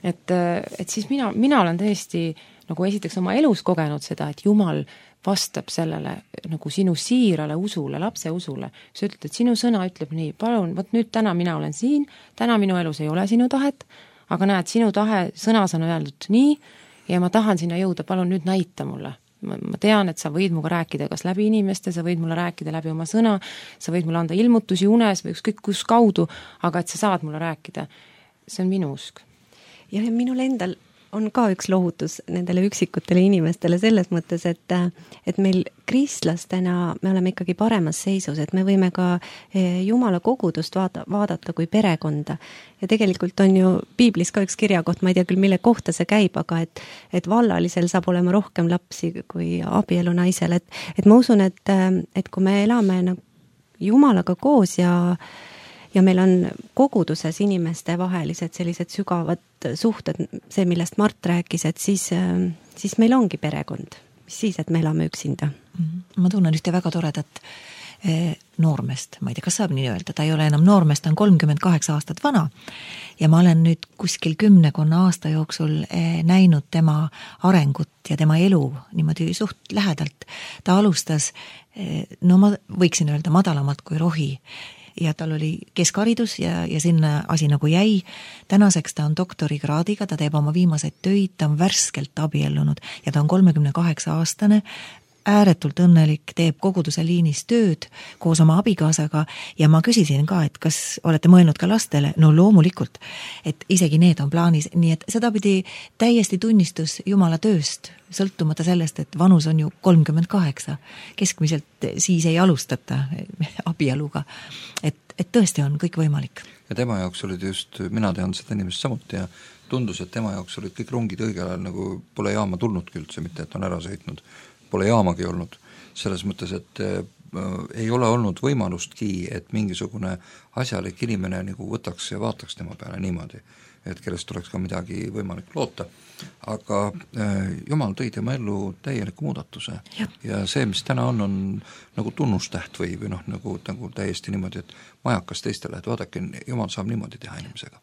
Et, et siis mina, mina olen tõesti nagu esiteks oma elus kogenud seda, et Jumal vastab sellele nagu sinu siirale usule, lapse usule. Sa ütled, et sinu sõna ütleb nii, palun, võt nüüd täna mina olen siin, täna minu elus ei ole sinu tahet, aga näed, sinu tahe sõnas on öeldud nii, ja ma tahan sinna jõuda, palun nüüd näita mulle. Ma, ma tean, et sa võid muga rääkida kas läbi inimeste, sa võid mulle rääkida läbi oma sõna, sa võid mulle anda ilmutusi unes või ükskõik kus kaudu, aga et sa saad mulle rääkida. See on minu usk. Ja minul endal on ka üks lohutus nendele üksikutele inimestele selles mõttes, et, et meil kristlastena me oleme ikkagi paremas seisus, et me võime ka Jumala kogudust vaada, vaadata kui perekonda. Ja tegelikult on ju Piiblis ka üks kirjakoht, ma ei tea küll, mille kohta see käib, aga et, et vallalisel saab olema rohkem lapsi kui abielu naisel. Et, et ma usun, et, et kui me elame nagu Jumalaga koos ja ja meil on koguduses inimeste vahelised sellised sügavad suhted, see, millest Mart rääkis, et siis, siis meil ongi perekond, mis siis, et me elame üksinda. Ma tunnen ühte väga toredat noormest, ma ei tea, kas saab nii öelda, ta ei ole enam noormest, ta on kolmkümmend kaheksa aastat vana ja ma olen nüüd kuskil kümnekonna aasta jooksul näinud tema arengut ja tema elu niimoodi suht lähedalt. Ta alustas, no ma võiksin öelda madalamalt kui rohi, ja tal oli keskharidus ja, ja sinna asi nagu jäi. Tänaseks ta on doktorikraadiga, ta teeb oma viimaseid töid, ta on värskelt abiellunud ja ta on kolmekümne kaheksa aastane, ääretult õnnelik, teeb koguduse liinis tööd koos oma abikaasaga ja ma küsisin ka, et kas olete mõelnud ka lastele? No loomulikult, et isegi need on plaanis, nii et seda pidi täiesti tunnistus Jumala tööst, sõltumata sellest, et vanus on ju kolmkümmend kaheksa. Keskmiselt siis ei alustata abieluga, et, et tõesti on kõik võimalik. Ja tema jaoks olid just, mina tean seda inimest samuti ja tundus, et tema jaoks olid kõik rongid õigel ajal, nagu pole jaama tulnud üldse, mitte et on ära sõitnud. Pole jaamagi olnud, selles mõttes, et äh, ei ole olnud võimalustki, et mingisugune asjalik inimene nagu võtaks ja vaataks tema peale niimoodi, et kellest oleks ka midagi võimalik loota. Aga äh, Jumal tõi tema ellu täieliku muudatuse ja. ja see, mis täna on, on nagu tunnustäht või, või noh, nagu, nagu täiesti niimoodi, et majakas teistele, et vaadake, Jumal saab niimoodi teha inimesega.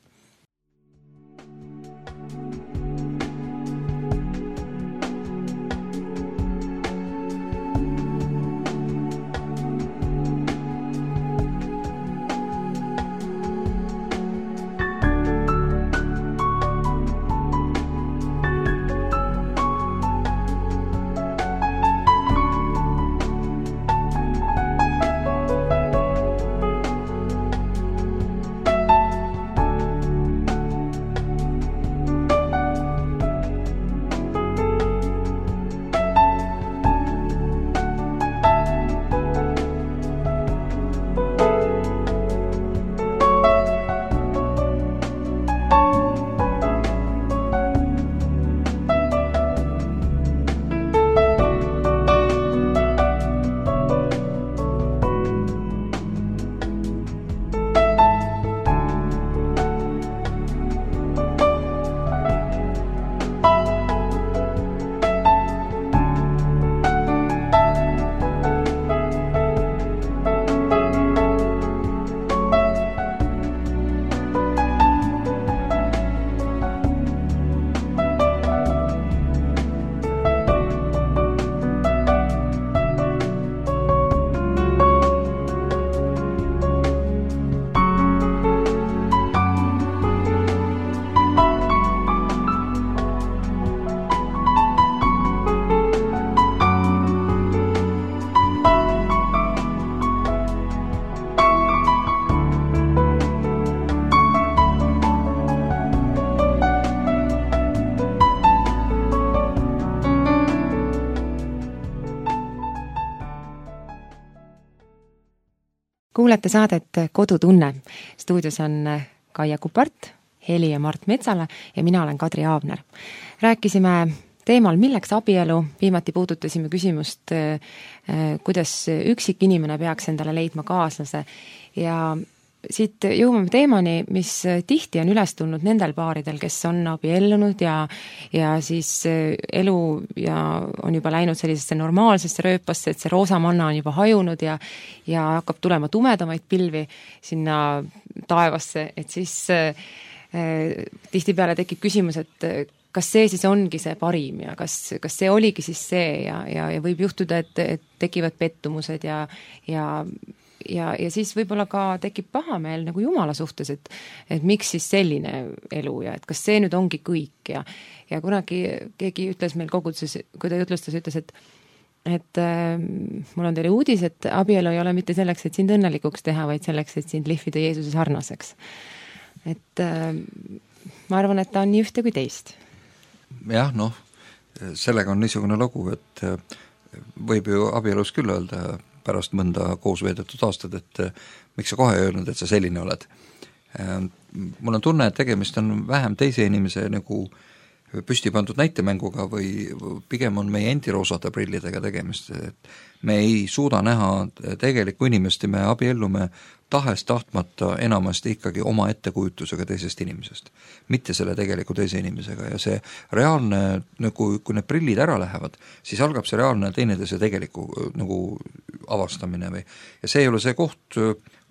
Kuulete saadet Kodutunne. Stuudios on Kaia Kupart, Heli ja Mart Metsala ja mina olen Kadri Aavner. Rääkisime teemal, milleks abielu, viimati puudutasime küsimust, kuidas üksik inimene peaks endale leidma kaaslase ja siit jõuame teemani, mis tihti on üles tulnud nendel paaridel, kes on abiellunud ja, ja siis elu ja on juba läinud sellisesse normaalsesse rööpasse, et see roosamanna on juba hajunud ja, ja hakkab tulema tumedamaid pilvi sinna taevasse, et siis äh, tihtipeale tekib küsimus, et kas see siis ongi see parim ja kas, kas see oligi siis see ja, ja, ja võib juhtuda, et, et tekivad pettumused ja, ja Ja, ja siis võib-olla ka tekib pahameel nagu Jumala suhtes, et, et miks siis selline elu ja et kas see nüüd ongi kõik ja, ja kunagi keegi ütles meil koguduses, kui ta jutlustas, ütles, et et äh, mul on teile uudis, et abielu ei ole mitte selleks, et sind õnnelikuks teha, vaid selleks, et sind lihvida Jeesuse sarnaseks. Et äh, ma arvan, et ta on nii ühte kui teist. Jah, noh, sellega on niisugune lugu, et võib ju abielus küll öelda pärast mõnda koos veedetud aastad, et miks sa kohe ei öelnud, et sa selline oled. Mul on tunne, et tegemist on vähem teise inimese nagu püsti pandud näitemänguga või pigem on meie endi roosade prillidega tegemist, et me ei suuda näha tegelikku inimest ja me abiellume tahes tahtmata enamasti ikkagi oma ettekujutusega teisest inimesest, mitte selle tegeliku teise inimesega ja see reaalne, nagu kui need prillid ära lähevad, siis algab see reaalne teineteise tegeliku nagu avastamine või ja see ei ole see koht,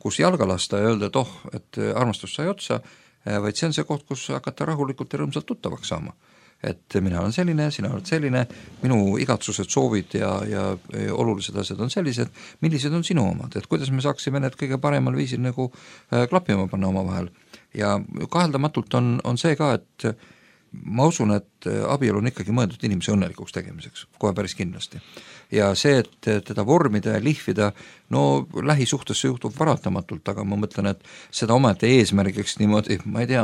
kus jalga lasta ja öelda, et oh, et armastus sai otsa, vaid see on see koht, kus hakata rahulikult ja rõõmsalt tuttavaks saama. Et mina olen selline, sina oled selline, minu igatsused, soovid ja, ja, ja olulised asjad on sellised, millised on sinu omad, et kuidas me saaksime need kõige paremal viisil nagu klappima panna oma vahel. Ja kaheldamatult on, on see ka, et ma usun, et abielu on ikkagi mõeldud inimese õnnelikuks tegemiseks, kohe päris kindlasti. Ja see, et teda vormida ja lihvida, no lähisuhtesse juhtub paratamatult, aga ma mõtlen, et seda omaette eesmärgiks niimoodi, ma ei tea,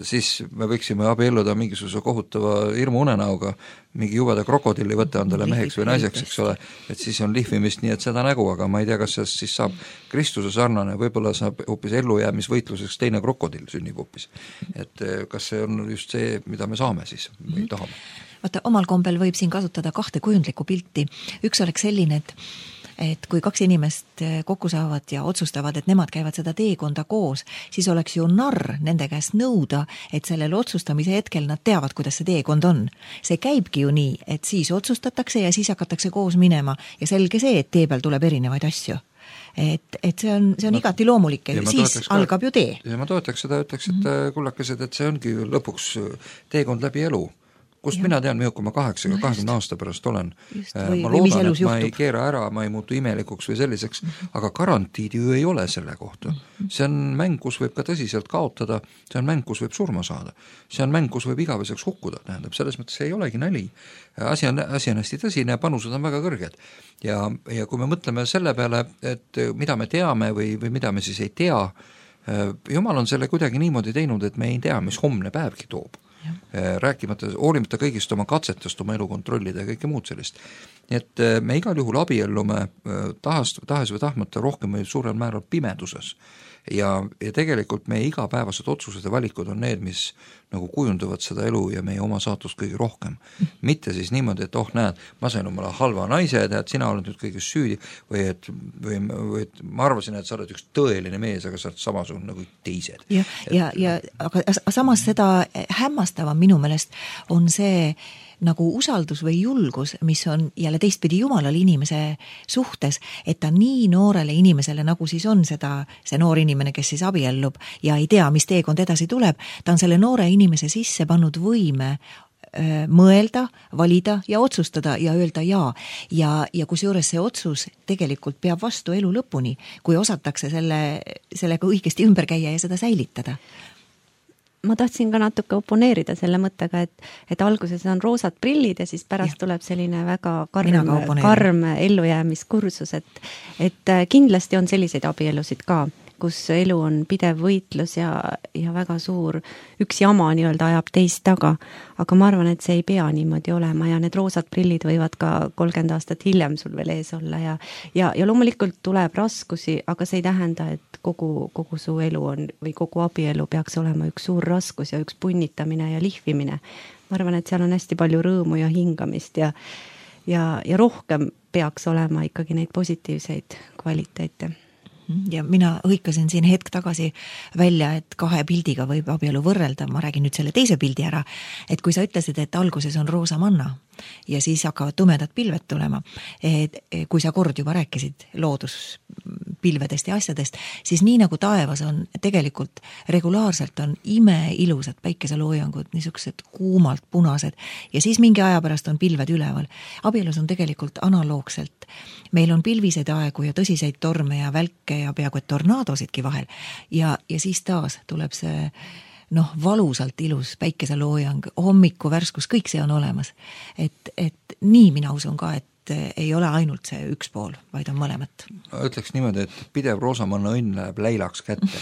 siis me võiksime abielluda mingisuguse kohutava hirmu unenäoga, mingi jubeda krokodilli võtta endale meheks või naiseks, eks ole, et siis on lihvimist nii, et seda nägu, aga ma ei tea, kas see siis saab Kristuse sarnane, võib-olla saab hoopis ellujäämisvõitluseks teine krokodill sünnib hoopis. Et kas see on just see, mida me saame siis või tahame? Vaata, omal kombel võib siin kasutada kahte kujundlikku pilti. Üks oleks selline, et et kui kaks inimest kokku saavad ja otsustavad, et nemad käivad seda teekonda koos, siis oleks ju narr nende käest nõuda, et sellel otsustamise hetkel nad teavad, kuidas see teekond on. See käibki ju nii, et siis otsustatakse ja siis hakatakse koos minema ja selge see, et tee peal tuleb erinevaid asju. Et, et see on, see on no, igati loomulik ja siis ka, algab ju tee. Ja ma toetaks seda, ütleks, et mm-hmm. kullakesed, et see ongi lõpuks teekond läbi elu. Kust ja. Mina tean, milline ma kaheksaga kahekümne aasta pärast olen. Just, või, ma loodan, et ma ei keera ära, ma ei muutu imelikuks või selliseks, mm-hmm. aga garantiid ju ei ole selle kohta. Mm-hmm. See on mäng, kus võib ka tõsiselt kaotada, see on mäng, kus võib surma saada. See on mäng, kus võib igaveseks hukkuda, tähendab, selles mõttes ei olegi nali. Asi on, asi on hästi tõsine ja panused on väga kõrged. Ja, ja kui me mõtleme selle peale, et mida me teame või, või mida me siis ei tea, Jumal on selle kuidagi niimoodi teinud, et me ei tea, mis homne päevki toob. Rääkimata, hoolimata kõigist oma katsetest, oma elu kontrollida ja kõike muud sellist. Nii et me igal juhul abiellume tahes, tahes või tahmata rohkem või suurel määral pimeduses. Ja, ja tegelikult meie igapäevased otsused ja valikud on need, mis nagu kujunduvad seda elu ja meie oma saatust kõige rohkem. Mitte siis niimoodi, et oh näed, ma sain omale halva naise, et sina oled nüüd kõiges süüdi või et, või, või et ma arvasin, et sa oled üks tõeline mees, aga sa oled samasugune nagu teised. Ja, ja, ja aga samas seda hämmastava minu meelest on see nagu usaldus või julgus, mis on jälle teistpidi Jumalal inimese suhtes, et ta nii noorele inimesele, nagu siis on seda, see noor inimene, kes siis abiellub ja ei tea, mis teekond edasi tuleb, ta on selle noore inimese sisse pannud võime öö, mõelda, valida ja otsustada ja öelda jaa. Ja, ja kusjuures see otsus tegelikult peab vastu elu lõpuni, kui osatakse selle, sellega õigesti ümber käia ja seda säilitada. Ma tahtsin ka natuke oponeerida selle mõttega, et, et alguses on roosad prillid ja siis pärast ja. Tuleb selline väga karm, karm ellujäämiskursus, et, et kindlasti on selliseid abielusid ka, kus elu on pidev võitlus ja, ja väga suur, üks jama nii-öelda ajab teist taga, aga ma arvan, et see ei pea niimoodi olema ja need roosad prillid võivad ka kolmkümmend aastat hiljem sul veel ees olla ja, ja, ja loomulikult tuleb raskusi, aga see ei tähenda, et kogu, kogu su elu on või kogu abielu peaks olema üks suur raskus ja üks punnitamine ja lihvimine. Ma arvan, et seal on hästi palju rõõmu ja hingamist ja, ja, ja rohkem peaks olema ikkagi neid positiivseid kvaliteete. Ja mina hõikasin siin hetk tagasi välja, et kahe pildiga võib abielu võrrelda, ma räägin nüüd selle teise pildi ära, et kui sa ütlesid, et alguses on roosa manna ja siis hakkavad tumedad pilved tulema, et kui sa kord juba rääkisid looduspilvedest ja asjadest, siis nii nagu taevas on tegelikult regulaarselt on imeilusad päikeseloojangud, niisugused kuumalt punased ja siis mingi aja pärast on pilved üleval. Abielus on tegelikult analoogselt. Meil on pilviseid aegu ja tõsiseid torme ja välke ja peaaegu et tornaadosidki vahel ja, ja siis taas tuleb see noh, valusalt ilus päikeseloojang, hommiku värskus, kõik see on olemas. Et, et nii mina usun ka, et ei ole ainult see üks pool, vaid on mõlemat. Ütleks niimoodi, et pidev roosamanna õnn läheb läilaks kätte.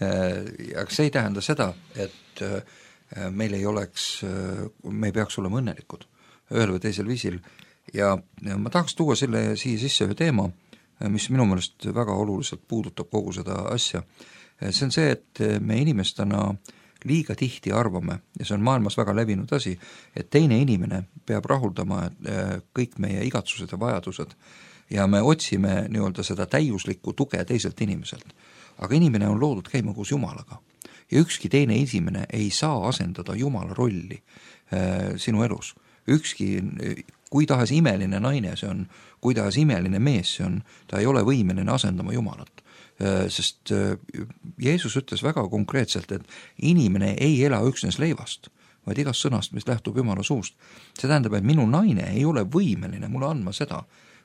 Aga see ei tähenda seda, et meil ei oleks, me ei peaks olema õnnelikud ühel või teisel viisil. Ja ma tahaks tuua selle siia sisse ühe teema, mis minu meelest väga oluliselt puudutab kogu seda asja. See on see, et me inimestena liiga tihti arvame, ja see on maailmas väga levinud asi, et teine inimene peab rahuldama kõik meie igatsused ja vajadused ja me otsime nii-öelda seda täiuslikku tuge teiselt inimeselt. Aga inimene on loodud käima koos Jumalaga ja ükski teine inimene ei saa asendada Jumala rolli sinu elus. Ükski kui tahes imeline naine see on, kui tahes imeline mees see on, ta ei ole võimeline asendama Jumalat. Sest Jeesus ütles väga konkreetselt, et inimene ei ela üksnes leivast, vaid igast sõnast, mis lähtub Jumala suust. See tähendab, et minu naine ei ole võimeline mulle andma seda,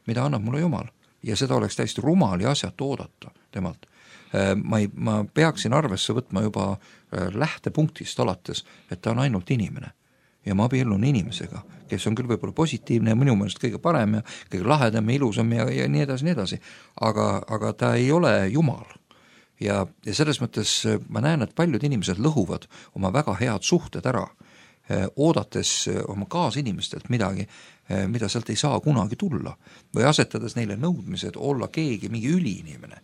mida annab mulle Jumal. Ja seda oleks täiesti rumal ja asjat oodata temalt. Ma, ei, ma peaksin arvesse võtma juba lähtepunktist alates, et ta on ainult inimene. Ja ma abiellun inimesega, kes on küll võib-olla positiivne ja minu meelest kõige parem ja kõige lahedam ja ilusam ja, ja nii edasi, nii edasi. Aga, aga ta ei ole Jumal. Ja, ja selles mõttes ma näen, et paljud inimesed lõhuvad oma väga head suhted ära, oodates oma kaasinimestelt midagi, mida sealt ei saa kunagi tulla või asetades neile nõudmised olla keegi, mingi üliinimene.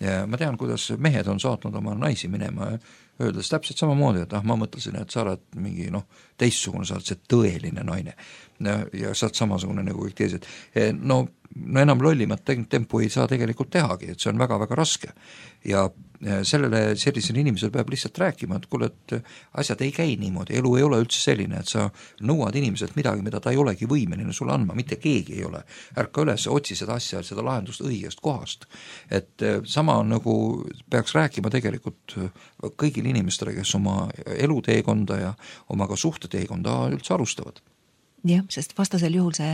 Ja ma tean, kuidas mehed on saatnud oma naisi minema ja öeldes täpselt samamoodi, et ah, ma mõtlesin, et sa oled mingi noh, teistsugune, sa oled see tõeline naine ja, ja sa oled samasugune nagu kõik teised. No, no enam lollimat tempu ei saa tegelikult tehagi, et see on väga-väga raske ja sellele sellisel inimesel peab lihtsalt rääkima, et kuule, et asjad ei käi niimoodi, elu ei ole üldse selline, et sa nõuad inimeselt midagi, mida ta ei olegi võimeline sulle andma, mitte keegi ei ole. Ärka üles, otsi seda asja, seda lahendust õigest kohast. Et sama nagu peaks rääkima tegelikult kõigil inimestele, kes oma eluteekonda ja oma ka suhteteekonda üldse alustavad. Jah, sest vastasel juhul see,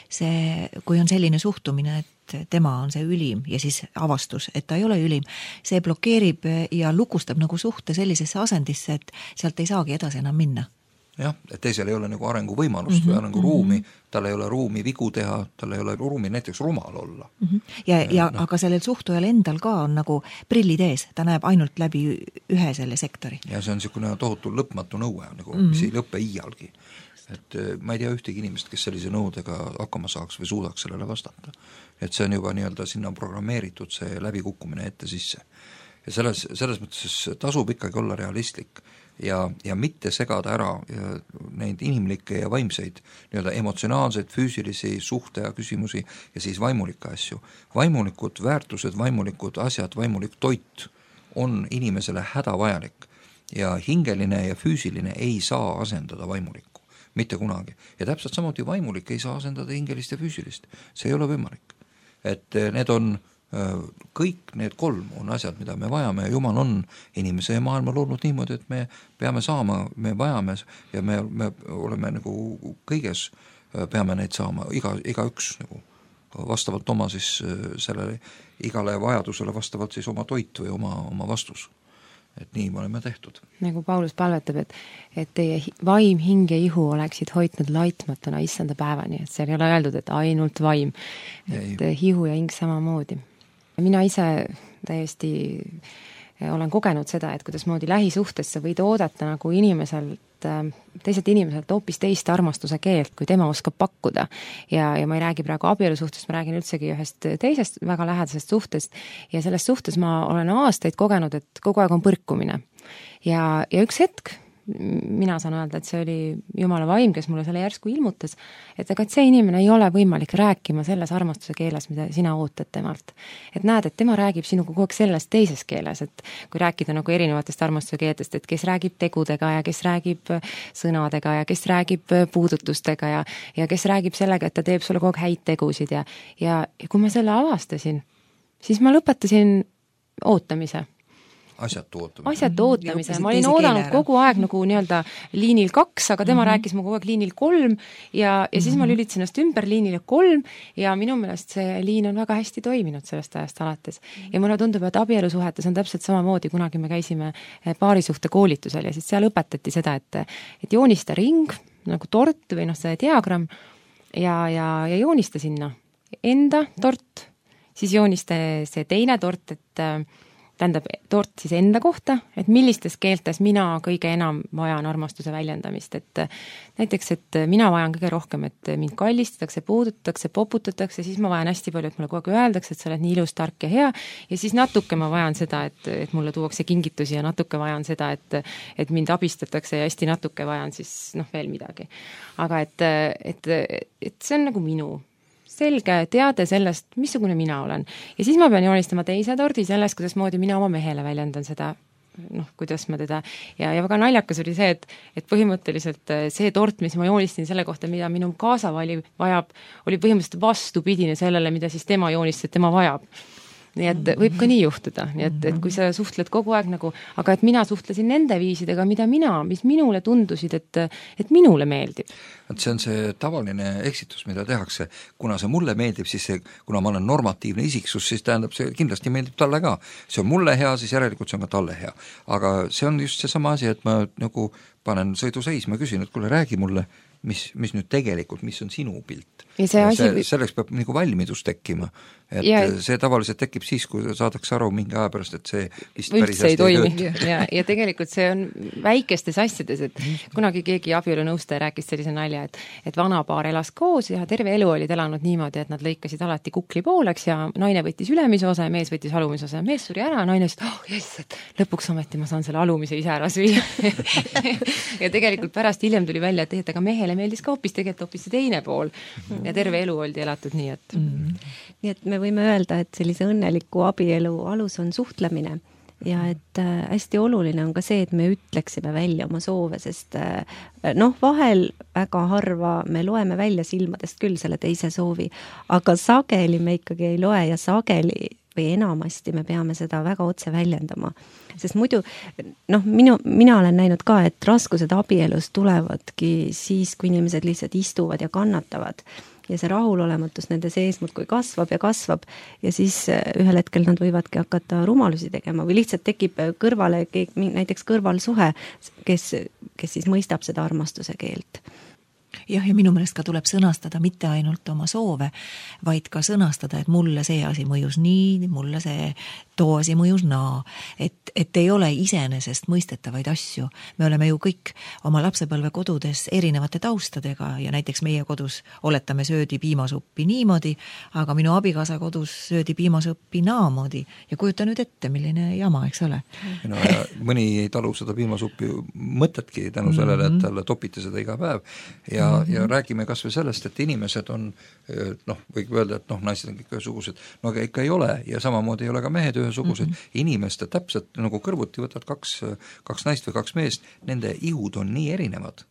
see, kui on selline suhtumine, et tema on see ülim ja siis avastus, et ta ei ole ülim, see blokeerib ja lukustab nagu suhte sellisesse asendisse, et sealt ei saagi edasi enam minna. Jah, et teisel ei ole nagu arenguvõimalust mm-hmm, või arenguruumi, mm-hmm. tal ei ole ruumi vigu teha, tal ei ole ruumi näiteks rumal olla. Mm-hmm. Ja, ja no. Aga sellel suhtujal endal ka on nagu prillid ees, ta näeb ainult läbi ühe selle sektori. Ja see on niisugune tohutu lõpmatu nõue, nagu, mm-hmm. mis ei lõppe iialgi. Et ma ei tea ühtegi inimest, kes sellise nõudega hakkama saaks või suudaks sellele vastata. Et see on juba nii-öelda sinna programmeeritud see läbikukkumine ette sisse. Ja selles, selles mõttes tasub ikkagi olla realistlik ja, ja mitte segada ära neid inimlikke ja vaimseid, nii-öelda emotsionaalseid, füüsilisi suhte ja küsimusi ja siis vaimulikke asju. Vaimulikud väärtused, vaimulikud asjad, vaimulik toit on inimesele hädavajalik ja hingeline ja füüsiline ei saa asendada vaimulikku. Mitte kunagi. Ja täpselt samuti vaimulik ei saa asendada hingelist ja füüsilist. See ei ole võimalik. Et need on, kõik need kolm on asjad, mida me vajame ja Jumal on inimese ja maailma loonud niimoodi, et me peame saama, me vajame ja me, me oleme nagu kõiges, peame neid saama, iga, iga üks nagu vastavalt oma siis sellele igale vajadusele vastavalt siis oma toit või oma, oma vastus. Et nii me oleme tehtud. Nagu Paulus palvetab, et, et teie vaim, hing ja ihu oleksid hoidnud laitmatuna issanda päevani, et seal ei ole öeldud, et ainult vaim, et ei. Hihu ja hing samamoodi. Mina ise täiesti olen kogenud seda, et kuidas moodi lähisuhtes sa võid oodata nagu inimeselt, teiselt inimeselt hoopis teist armastuse keelt, kui tema oskab pakkuda. Ja, ja ma ei räägi praegu abielusuhtest, ma räägin üldsegi ühest teisest väga lähedasest suhtest ja selles suhtes ma olen aastaid kogenud, et kogu aeg on põrkumine. Ja, ja üks hetk mina saan öelda, et see oli Jumala vaim, kes mulle selle järsku ilmutas, et ega et see inimene ei ole võimalik rääkima selles armastuse keeles, mida sina ootad temalt. Et näed, et tema räägib sinuga kogu aeg selles teises keeles, et kui rääkida nagu erinevatest armastuse keeltest, et kes räägib tegudega ja kes räägib sõnadega ja kes räägib puudutustega ja, ja kes räägib sellega, et ta teeb sulle kogu aeg häid tegusid ja, ja, ja kui ma selle avastasin, siis ma lõpetasin ootamise. Asjatu ootamise. Asjatu ootamise. Ma olin oodanud kogu aeg nagu nii-öelda liinil kaks, aga tema mm -hmm. rääkis mu kogu aeg liinil kolm ja, ja siis mm -hmm. ma lülitasin ennast ümber liinile kolm ja minu meelest see liin on väga hästi toiminud sellest ajast alates. Ja mulle tundub, et abielusuhetes on täpselt samamoodi, kunagi me käisime paarisuhte koolitusel ja siis seal õpetati seda, et, et joonista ring, nagu tort või noh, see diagramm ja, ja, ja joonista sinna enda tort, siis joonista see teine tort, et tähendab tort siis enda kohta, et millistes keeltes mina kõige enam vajan armastuse väljendamist, et näiteks, et mina vajan kõige rohkem, et mind kallistatakse, puudutatakse, poputatakse, siis ma vajan hästi palju, et mulle kogu aeg öeldakse, et sa oled nii ilus, tark ja hea ja siis natuke ma vajan seda, et, et mulle tuuakse kingitusi ja natuke vajan seda, et, et mind abistatakse ja hästi natuke vajan siis noh veel midagi. Aga et, et, et see on nagu minu selge teade sellest, missugune mina olen. Ja siis ma pean joonistama teise tordi sellest, kuidas moodi mina oma mehele väljendan seda, noh, kuidas ma teda, ja, ja väga naljakas oli see, et, et põhimõtteliselt see tort, mis ma joonistin selle kohta, mida minu kaasavali vajab, oli põhimõtteliselt vastupidine sellele, mida siis tema joonistas, et tema vajab. Nii et võib ka nii juhtuda, nii et, et kui sa suhtled kogu aeg nagu, aga et mina suhtlesin nende viisidega, mida mina, mis minule tundusid, et, et minule meeldib. Et see on see tavaline eksitus, mida tehakse, kuna see mulle meeldib, siis see, kuna ma olen normatiivne isiksus, siis tähendab, see kindlasti meeldib talle ka. See on mulle hea, siis järelikult see on ka talle hea. Aga see on just see sama asi, et ma nagu panen sõidu seisma, küsin, et kuule, räägi mulle, mis, mis nüüd tegelikult, mis on sinu pilt. Ja see asi... see, selleks peab nagu valmidus tekkima. Et ja, see tavaliselt tekib siis, kui saadakse aru mingi aja pärast, et see vist päris hästi ei toimi. Ja, ja tegelikult see on väikestes asjades, et kunagi keegi abielunõustaja rääkis sellise nalja, et, et vanapaar elas koos ja terve elu olid elanud niimoodi, et nad lõikasid alati kukli pooleks ja naine võttis ülemise osa ja mees võttis alumise osa ja mees suri ära, naine ütles, oh jess, et lõpuks ometi ma saan selle alumise ise ära süüa. Ja tegelikult pärast hiljem tuli välja, et, et aga mehele meeldis ka hoopis tegelikult hoopis see teine pool ja terve elu oldi elatud nii, et mm. nii et me võime öelda, et sellise õnneliku abielu alus on suhtlemine ja et äh, hästi oluline on ka see, et me ütleksime välja oma soove, sest äh, noh, vahel väga harva me loeme välja silmadest küll selle teise soovi, aga sageli me ikkagi ei loe ja sageli või enamasti me peame seda väga otse väljendama. Sest muidu, noh, minu, mina olen näinud ka, et raskused abielus tulevadki siis, kui inimesed lihtsalt istuvad ja kannatavad. Ja see rahulolematus nende sees muudkui kasvab ja kasvab ja siis ühel hetkel nad võivadki hakata rumalusi tegema või lihtsalt tekib kõrvale, näiteks kõrvalsuhe, kes, kes siis mõistab seda armastuse keelt. Jah, ja minu meelest ka tuleb sõnastada mitte ainult oma soove, vaid ka sõnastada, et mulle see asi mõjus nii, mulle see too asi mõjus naa, et, et ei ole iseenesest mõistetavaid asju. Me oleme ju kõik oma lapsepõlve kodudes erinevate taustadega ja näiteks meie kodus oletame söödi piimasuppi niimoodi, aga minu abikaasa kodus söödi piimasuppi naamoodi ja kujuta nüüd ette, milline jama, eks ole. No, ja mõni ei talu seda piimasuppi mõtetki tänu sellele, et talle topiti seda iga päev ja Ja, ja räägime kas või sellest, et inimesed on, noh, võib öelda, et noh, naised on kõik ühesugused, no aga ikka ei ole ja samamoodi ei ole ka mehed ühesugused. Mm -hmm. Inimeste täpselt nagu kõrvuti võtad kaks, kaks naist või kaks meest, nende ihud on nii erinevad.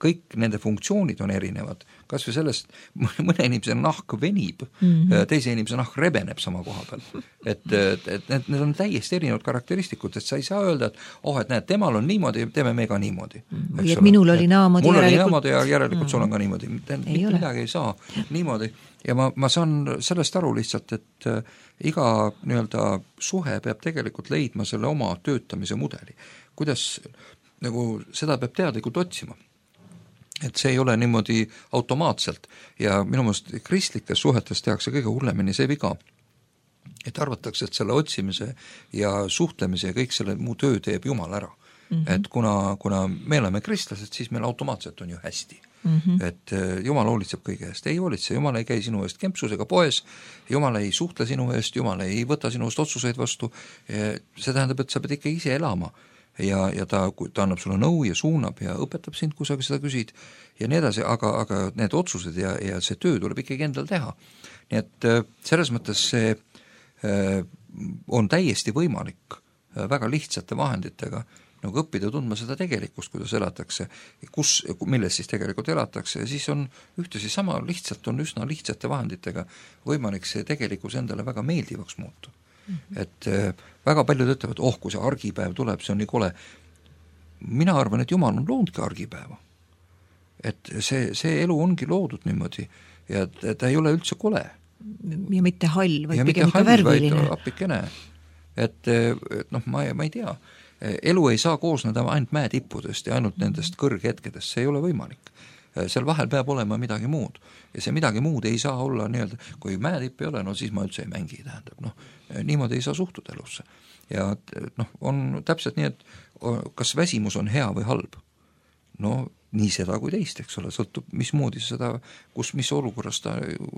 Kõik nende funktsioonid on erinevad, kas või sellest, mõne inimese nahk venib, mm -hmm. teise inimese nahk rebeneb sama koha peal. Et, et, et need, need on täiesti erinevad karakteristikud, et sa ei saa öelda, et oh, et näed, temal on niimoodi, teeme me ka niimoodi. Või et minul oli naamoodi. Mul oli naamoodi ja järelikult mm. sul on ka niimoodi. Mitte midagi ei saa niimoodi. Ja ma, ma saan sellest aru lihtsalt, et äh, iga nii-öelda suhe peab tegelikult leidma selle oma töötamise mudeli. Kuidas nagu seda peab teadlikult otsima. Et see ei ole niimoodi automaatselt ja minu meelest kristlikes suhetes tehakse kõige hullemini see viga, et arvatakse, et selle otsimise ja suhtlemise ja kõik selle muu töö teeb Jumal ära. Mm -hmm. Et kuna, kuna me oleme kristlased, siis meil automaatselt on ju hästi. Mm -hmm. Et Jumal hoolitseb kõige eest. Ei hoolitse, Jumal ei käi sinu eest kempsus ega poes, Jumal ei suhtle sinu eest, Jumal ei võta sinu eest otsuseid vastu. See tähendab, et sa pead ikka ise elama ja, ja ta, ta annab sulle nõu ja suunab ja õpetab sind, kui sa seda küsid ja nii edasi, aga, aga need otsused ja, ja see töö tuleb ikkagi endal teha. Nii et selles mõttes see on täiesti võimalik väga lihtsate vahenditega nagu õppida tundma seda tegelikkust, kuidas elatakse, kus, milles siis tegelikult elatakse ja siis on ühtlasi sama lihtsalt, on üsna lihtsate vahenditega võimalik see tegelikkus endale väga meeldivaks muuta. Mm -hmm. Et väga paljud ütlevad, oh, kui see argipäev tuleb, see on nii kole. Mina arvan, et Jumal on loodudki argipäeva. Et see, see elu ongi loodud niimoodi ja ta ei ole üldse kole. Ja mitte hall, vaid pigem ikka värviline. Appikene. Et, et noh, ma, ma ei tea, elu ei saa koosneda ainult mäetippudest ja ainult nendest kõrghetkedest, see ei ole võimalik. Seal vahel peab olema midagi muud ja see midagi muud ei saa olla nii-öelda, kui mäetipp ei ole, no siis ma üldse ei mängi, tähendab, noh, niimoodi ei saa suhtuda elusse. Ja noh, on täpselt nii, et kas väsimus on hea või halb? No nii seda kui teist, eks ole, sõltub mismoodi seda, kus, mis olukorras ta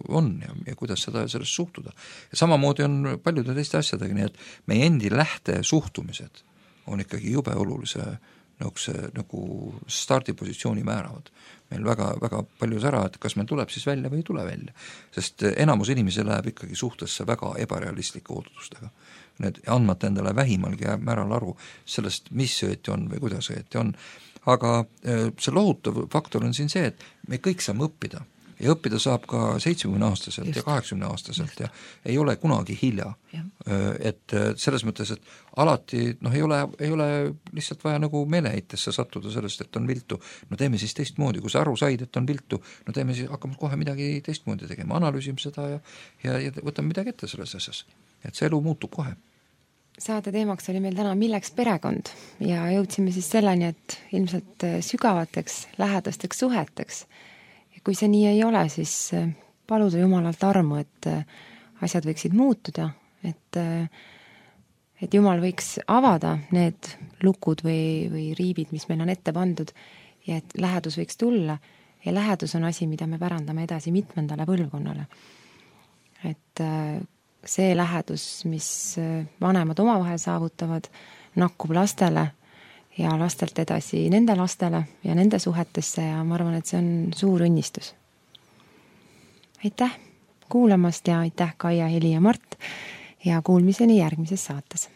on ja, ja kuidas seda sellest suhtuda. Ja samamoodi on paljude teiste asjadega, nii et meie endi lähte suhtumised on ikkagi jube olulise nagu, see, nagu stardipositsiooni määravad. Meil väga, väga palju sära, et kas meil tuleb siis välja või ei tule välja. Sest enamus inimesi läheb ikkagi suhtesse väga ebarealistlike ootustega. Need andmata endale vähimalgi määral aru sellest, mis õieti on või kuidas õieti on. Aga see lohutav faktor on siin see, et me kõik saame õppida ja õppida saab ka seitsmekümne aastaselt Just. ja kaheksakümne aastaselt Just. ja ei ole kunagi hilja. Ja. Et selles mõttes, et alati noh, ei ole, ei ole lihtsalt vaja nagu meeleheitesse sattuda sellest, et on viltu, no teeme siis teistmoodi, kui sa aru said, et on viltu, no teeme siis, hakkame kohe midagi teistmoodi tegema, analüüsime seda ja, ja, ja võtame midagi ette selles asjas, et see elu muutub kohe. Saate teemaks oli meil täna milleks perekond ja jõudsime siis selleni, et ilmselt sügavateks, lähedasteks suheteks. Ja kui see nii ei ole, siis paluda Jumalalt armu, et asjad võiksid muutuda, et, et Jumal võiks avada need lukud või, või riibid, mis meil on ette pandud ja et lähedus võiks tulla ja lähedus on asi, mida me pärandame edasi mitmendale põlvkonnale. Et see lähedus, mis vanemad omavahel saavutavad, nakkub lastele ja lastelt edasi nende lastele ja nende suhetesse ja ma arvan, et see on suur õnnistus. Aitäh kuulamast ja aitäh Kaia, Heli ja Mart ja kuulmiseni järgmises saates.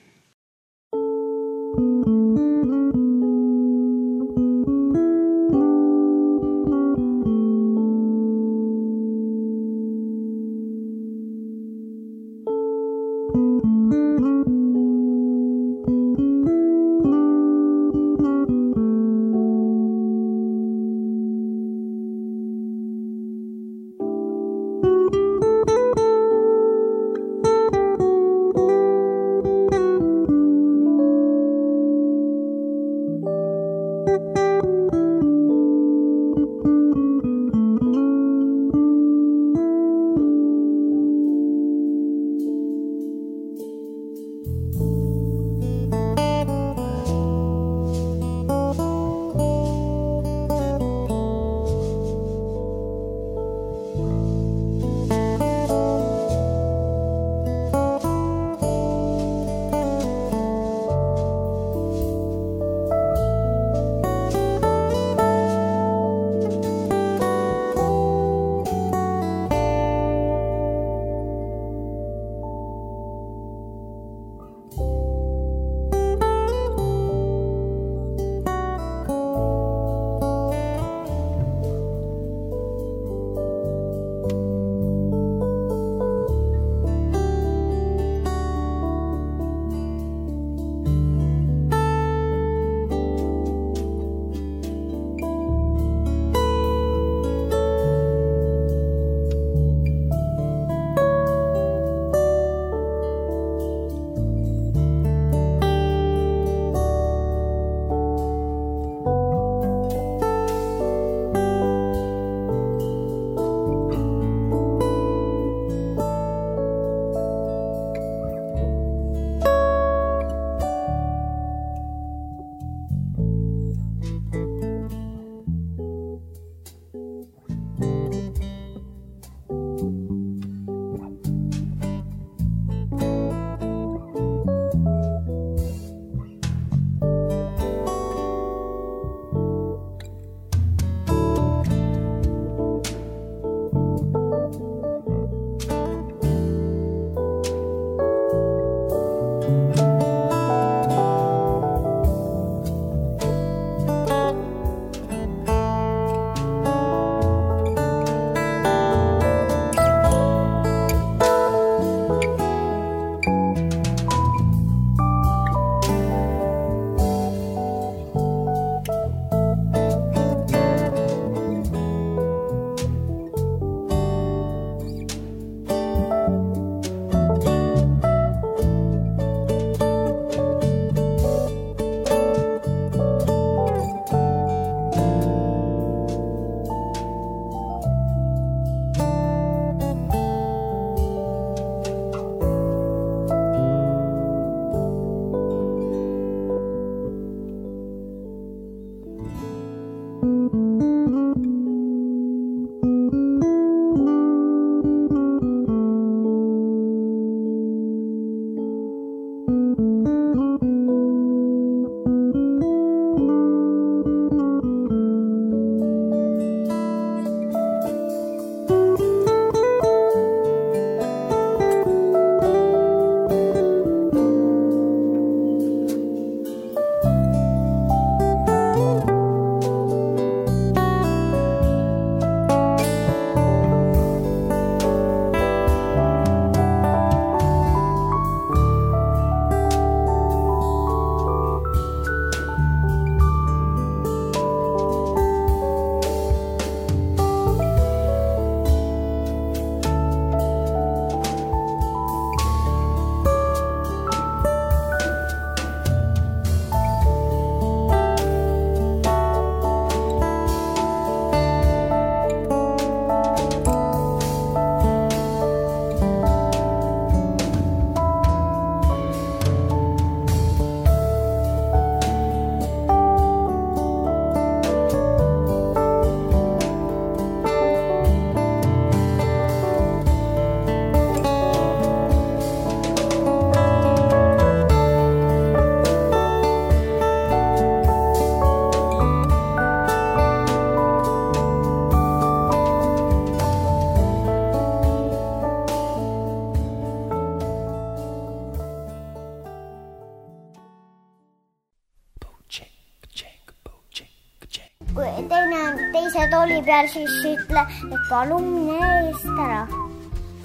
kui teine on teise tooli peal, siis ütle, et palun mine eest ära.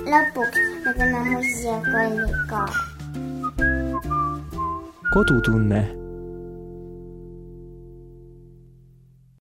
Lõpuks me teeme muusikakalli ka. Kodutunne.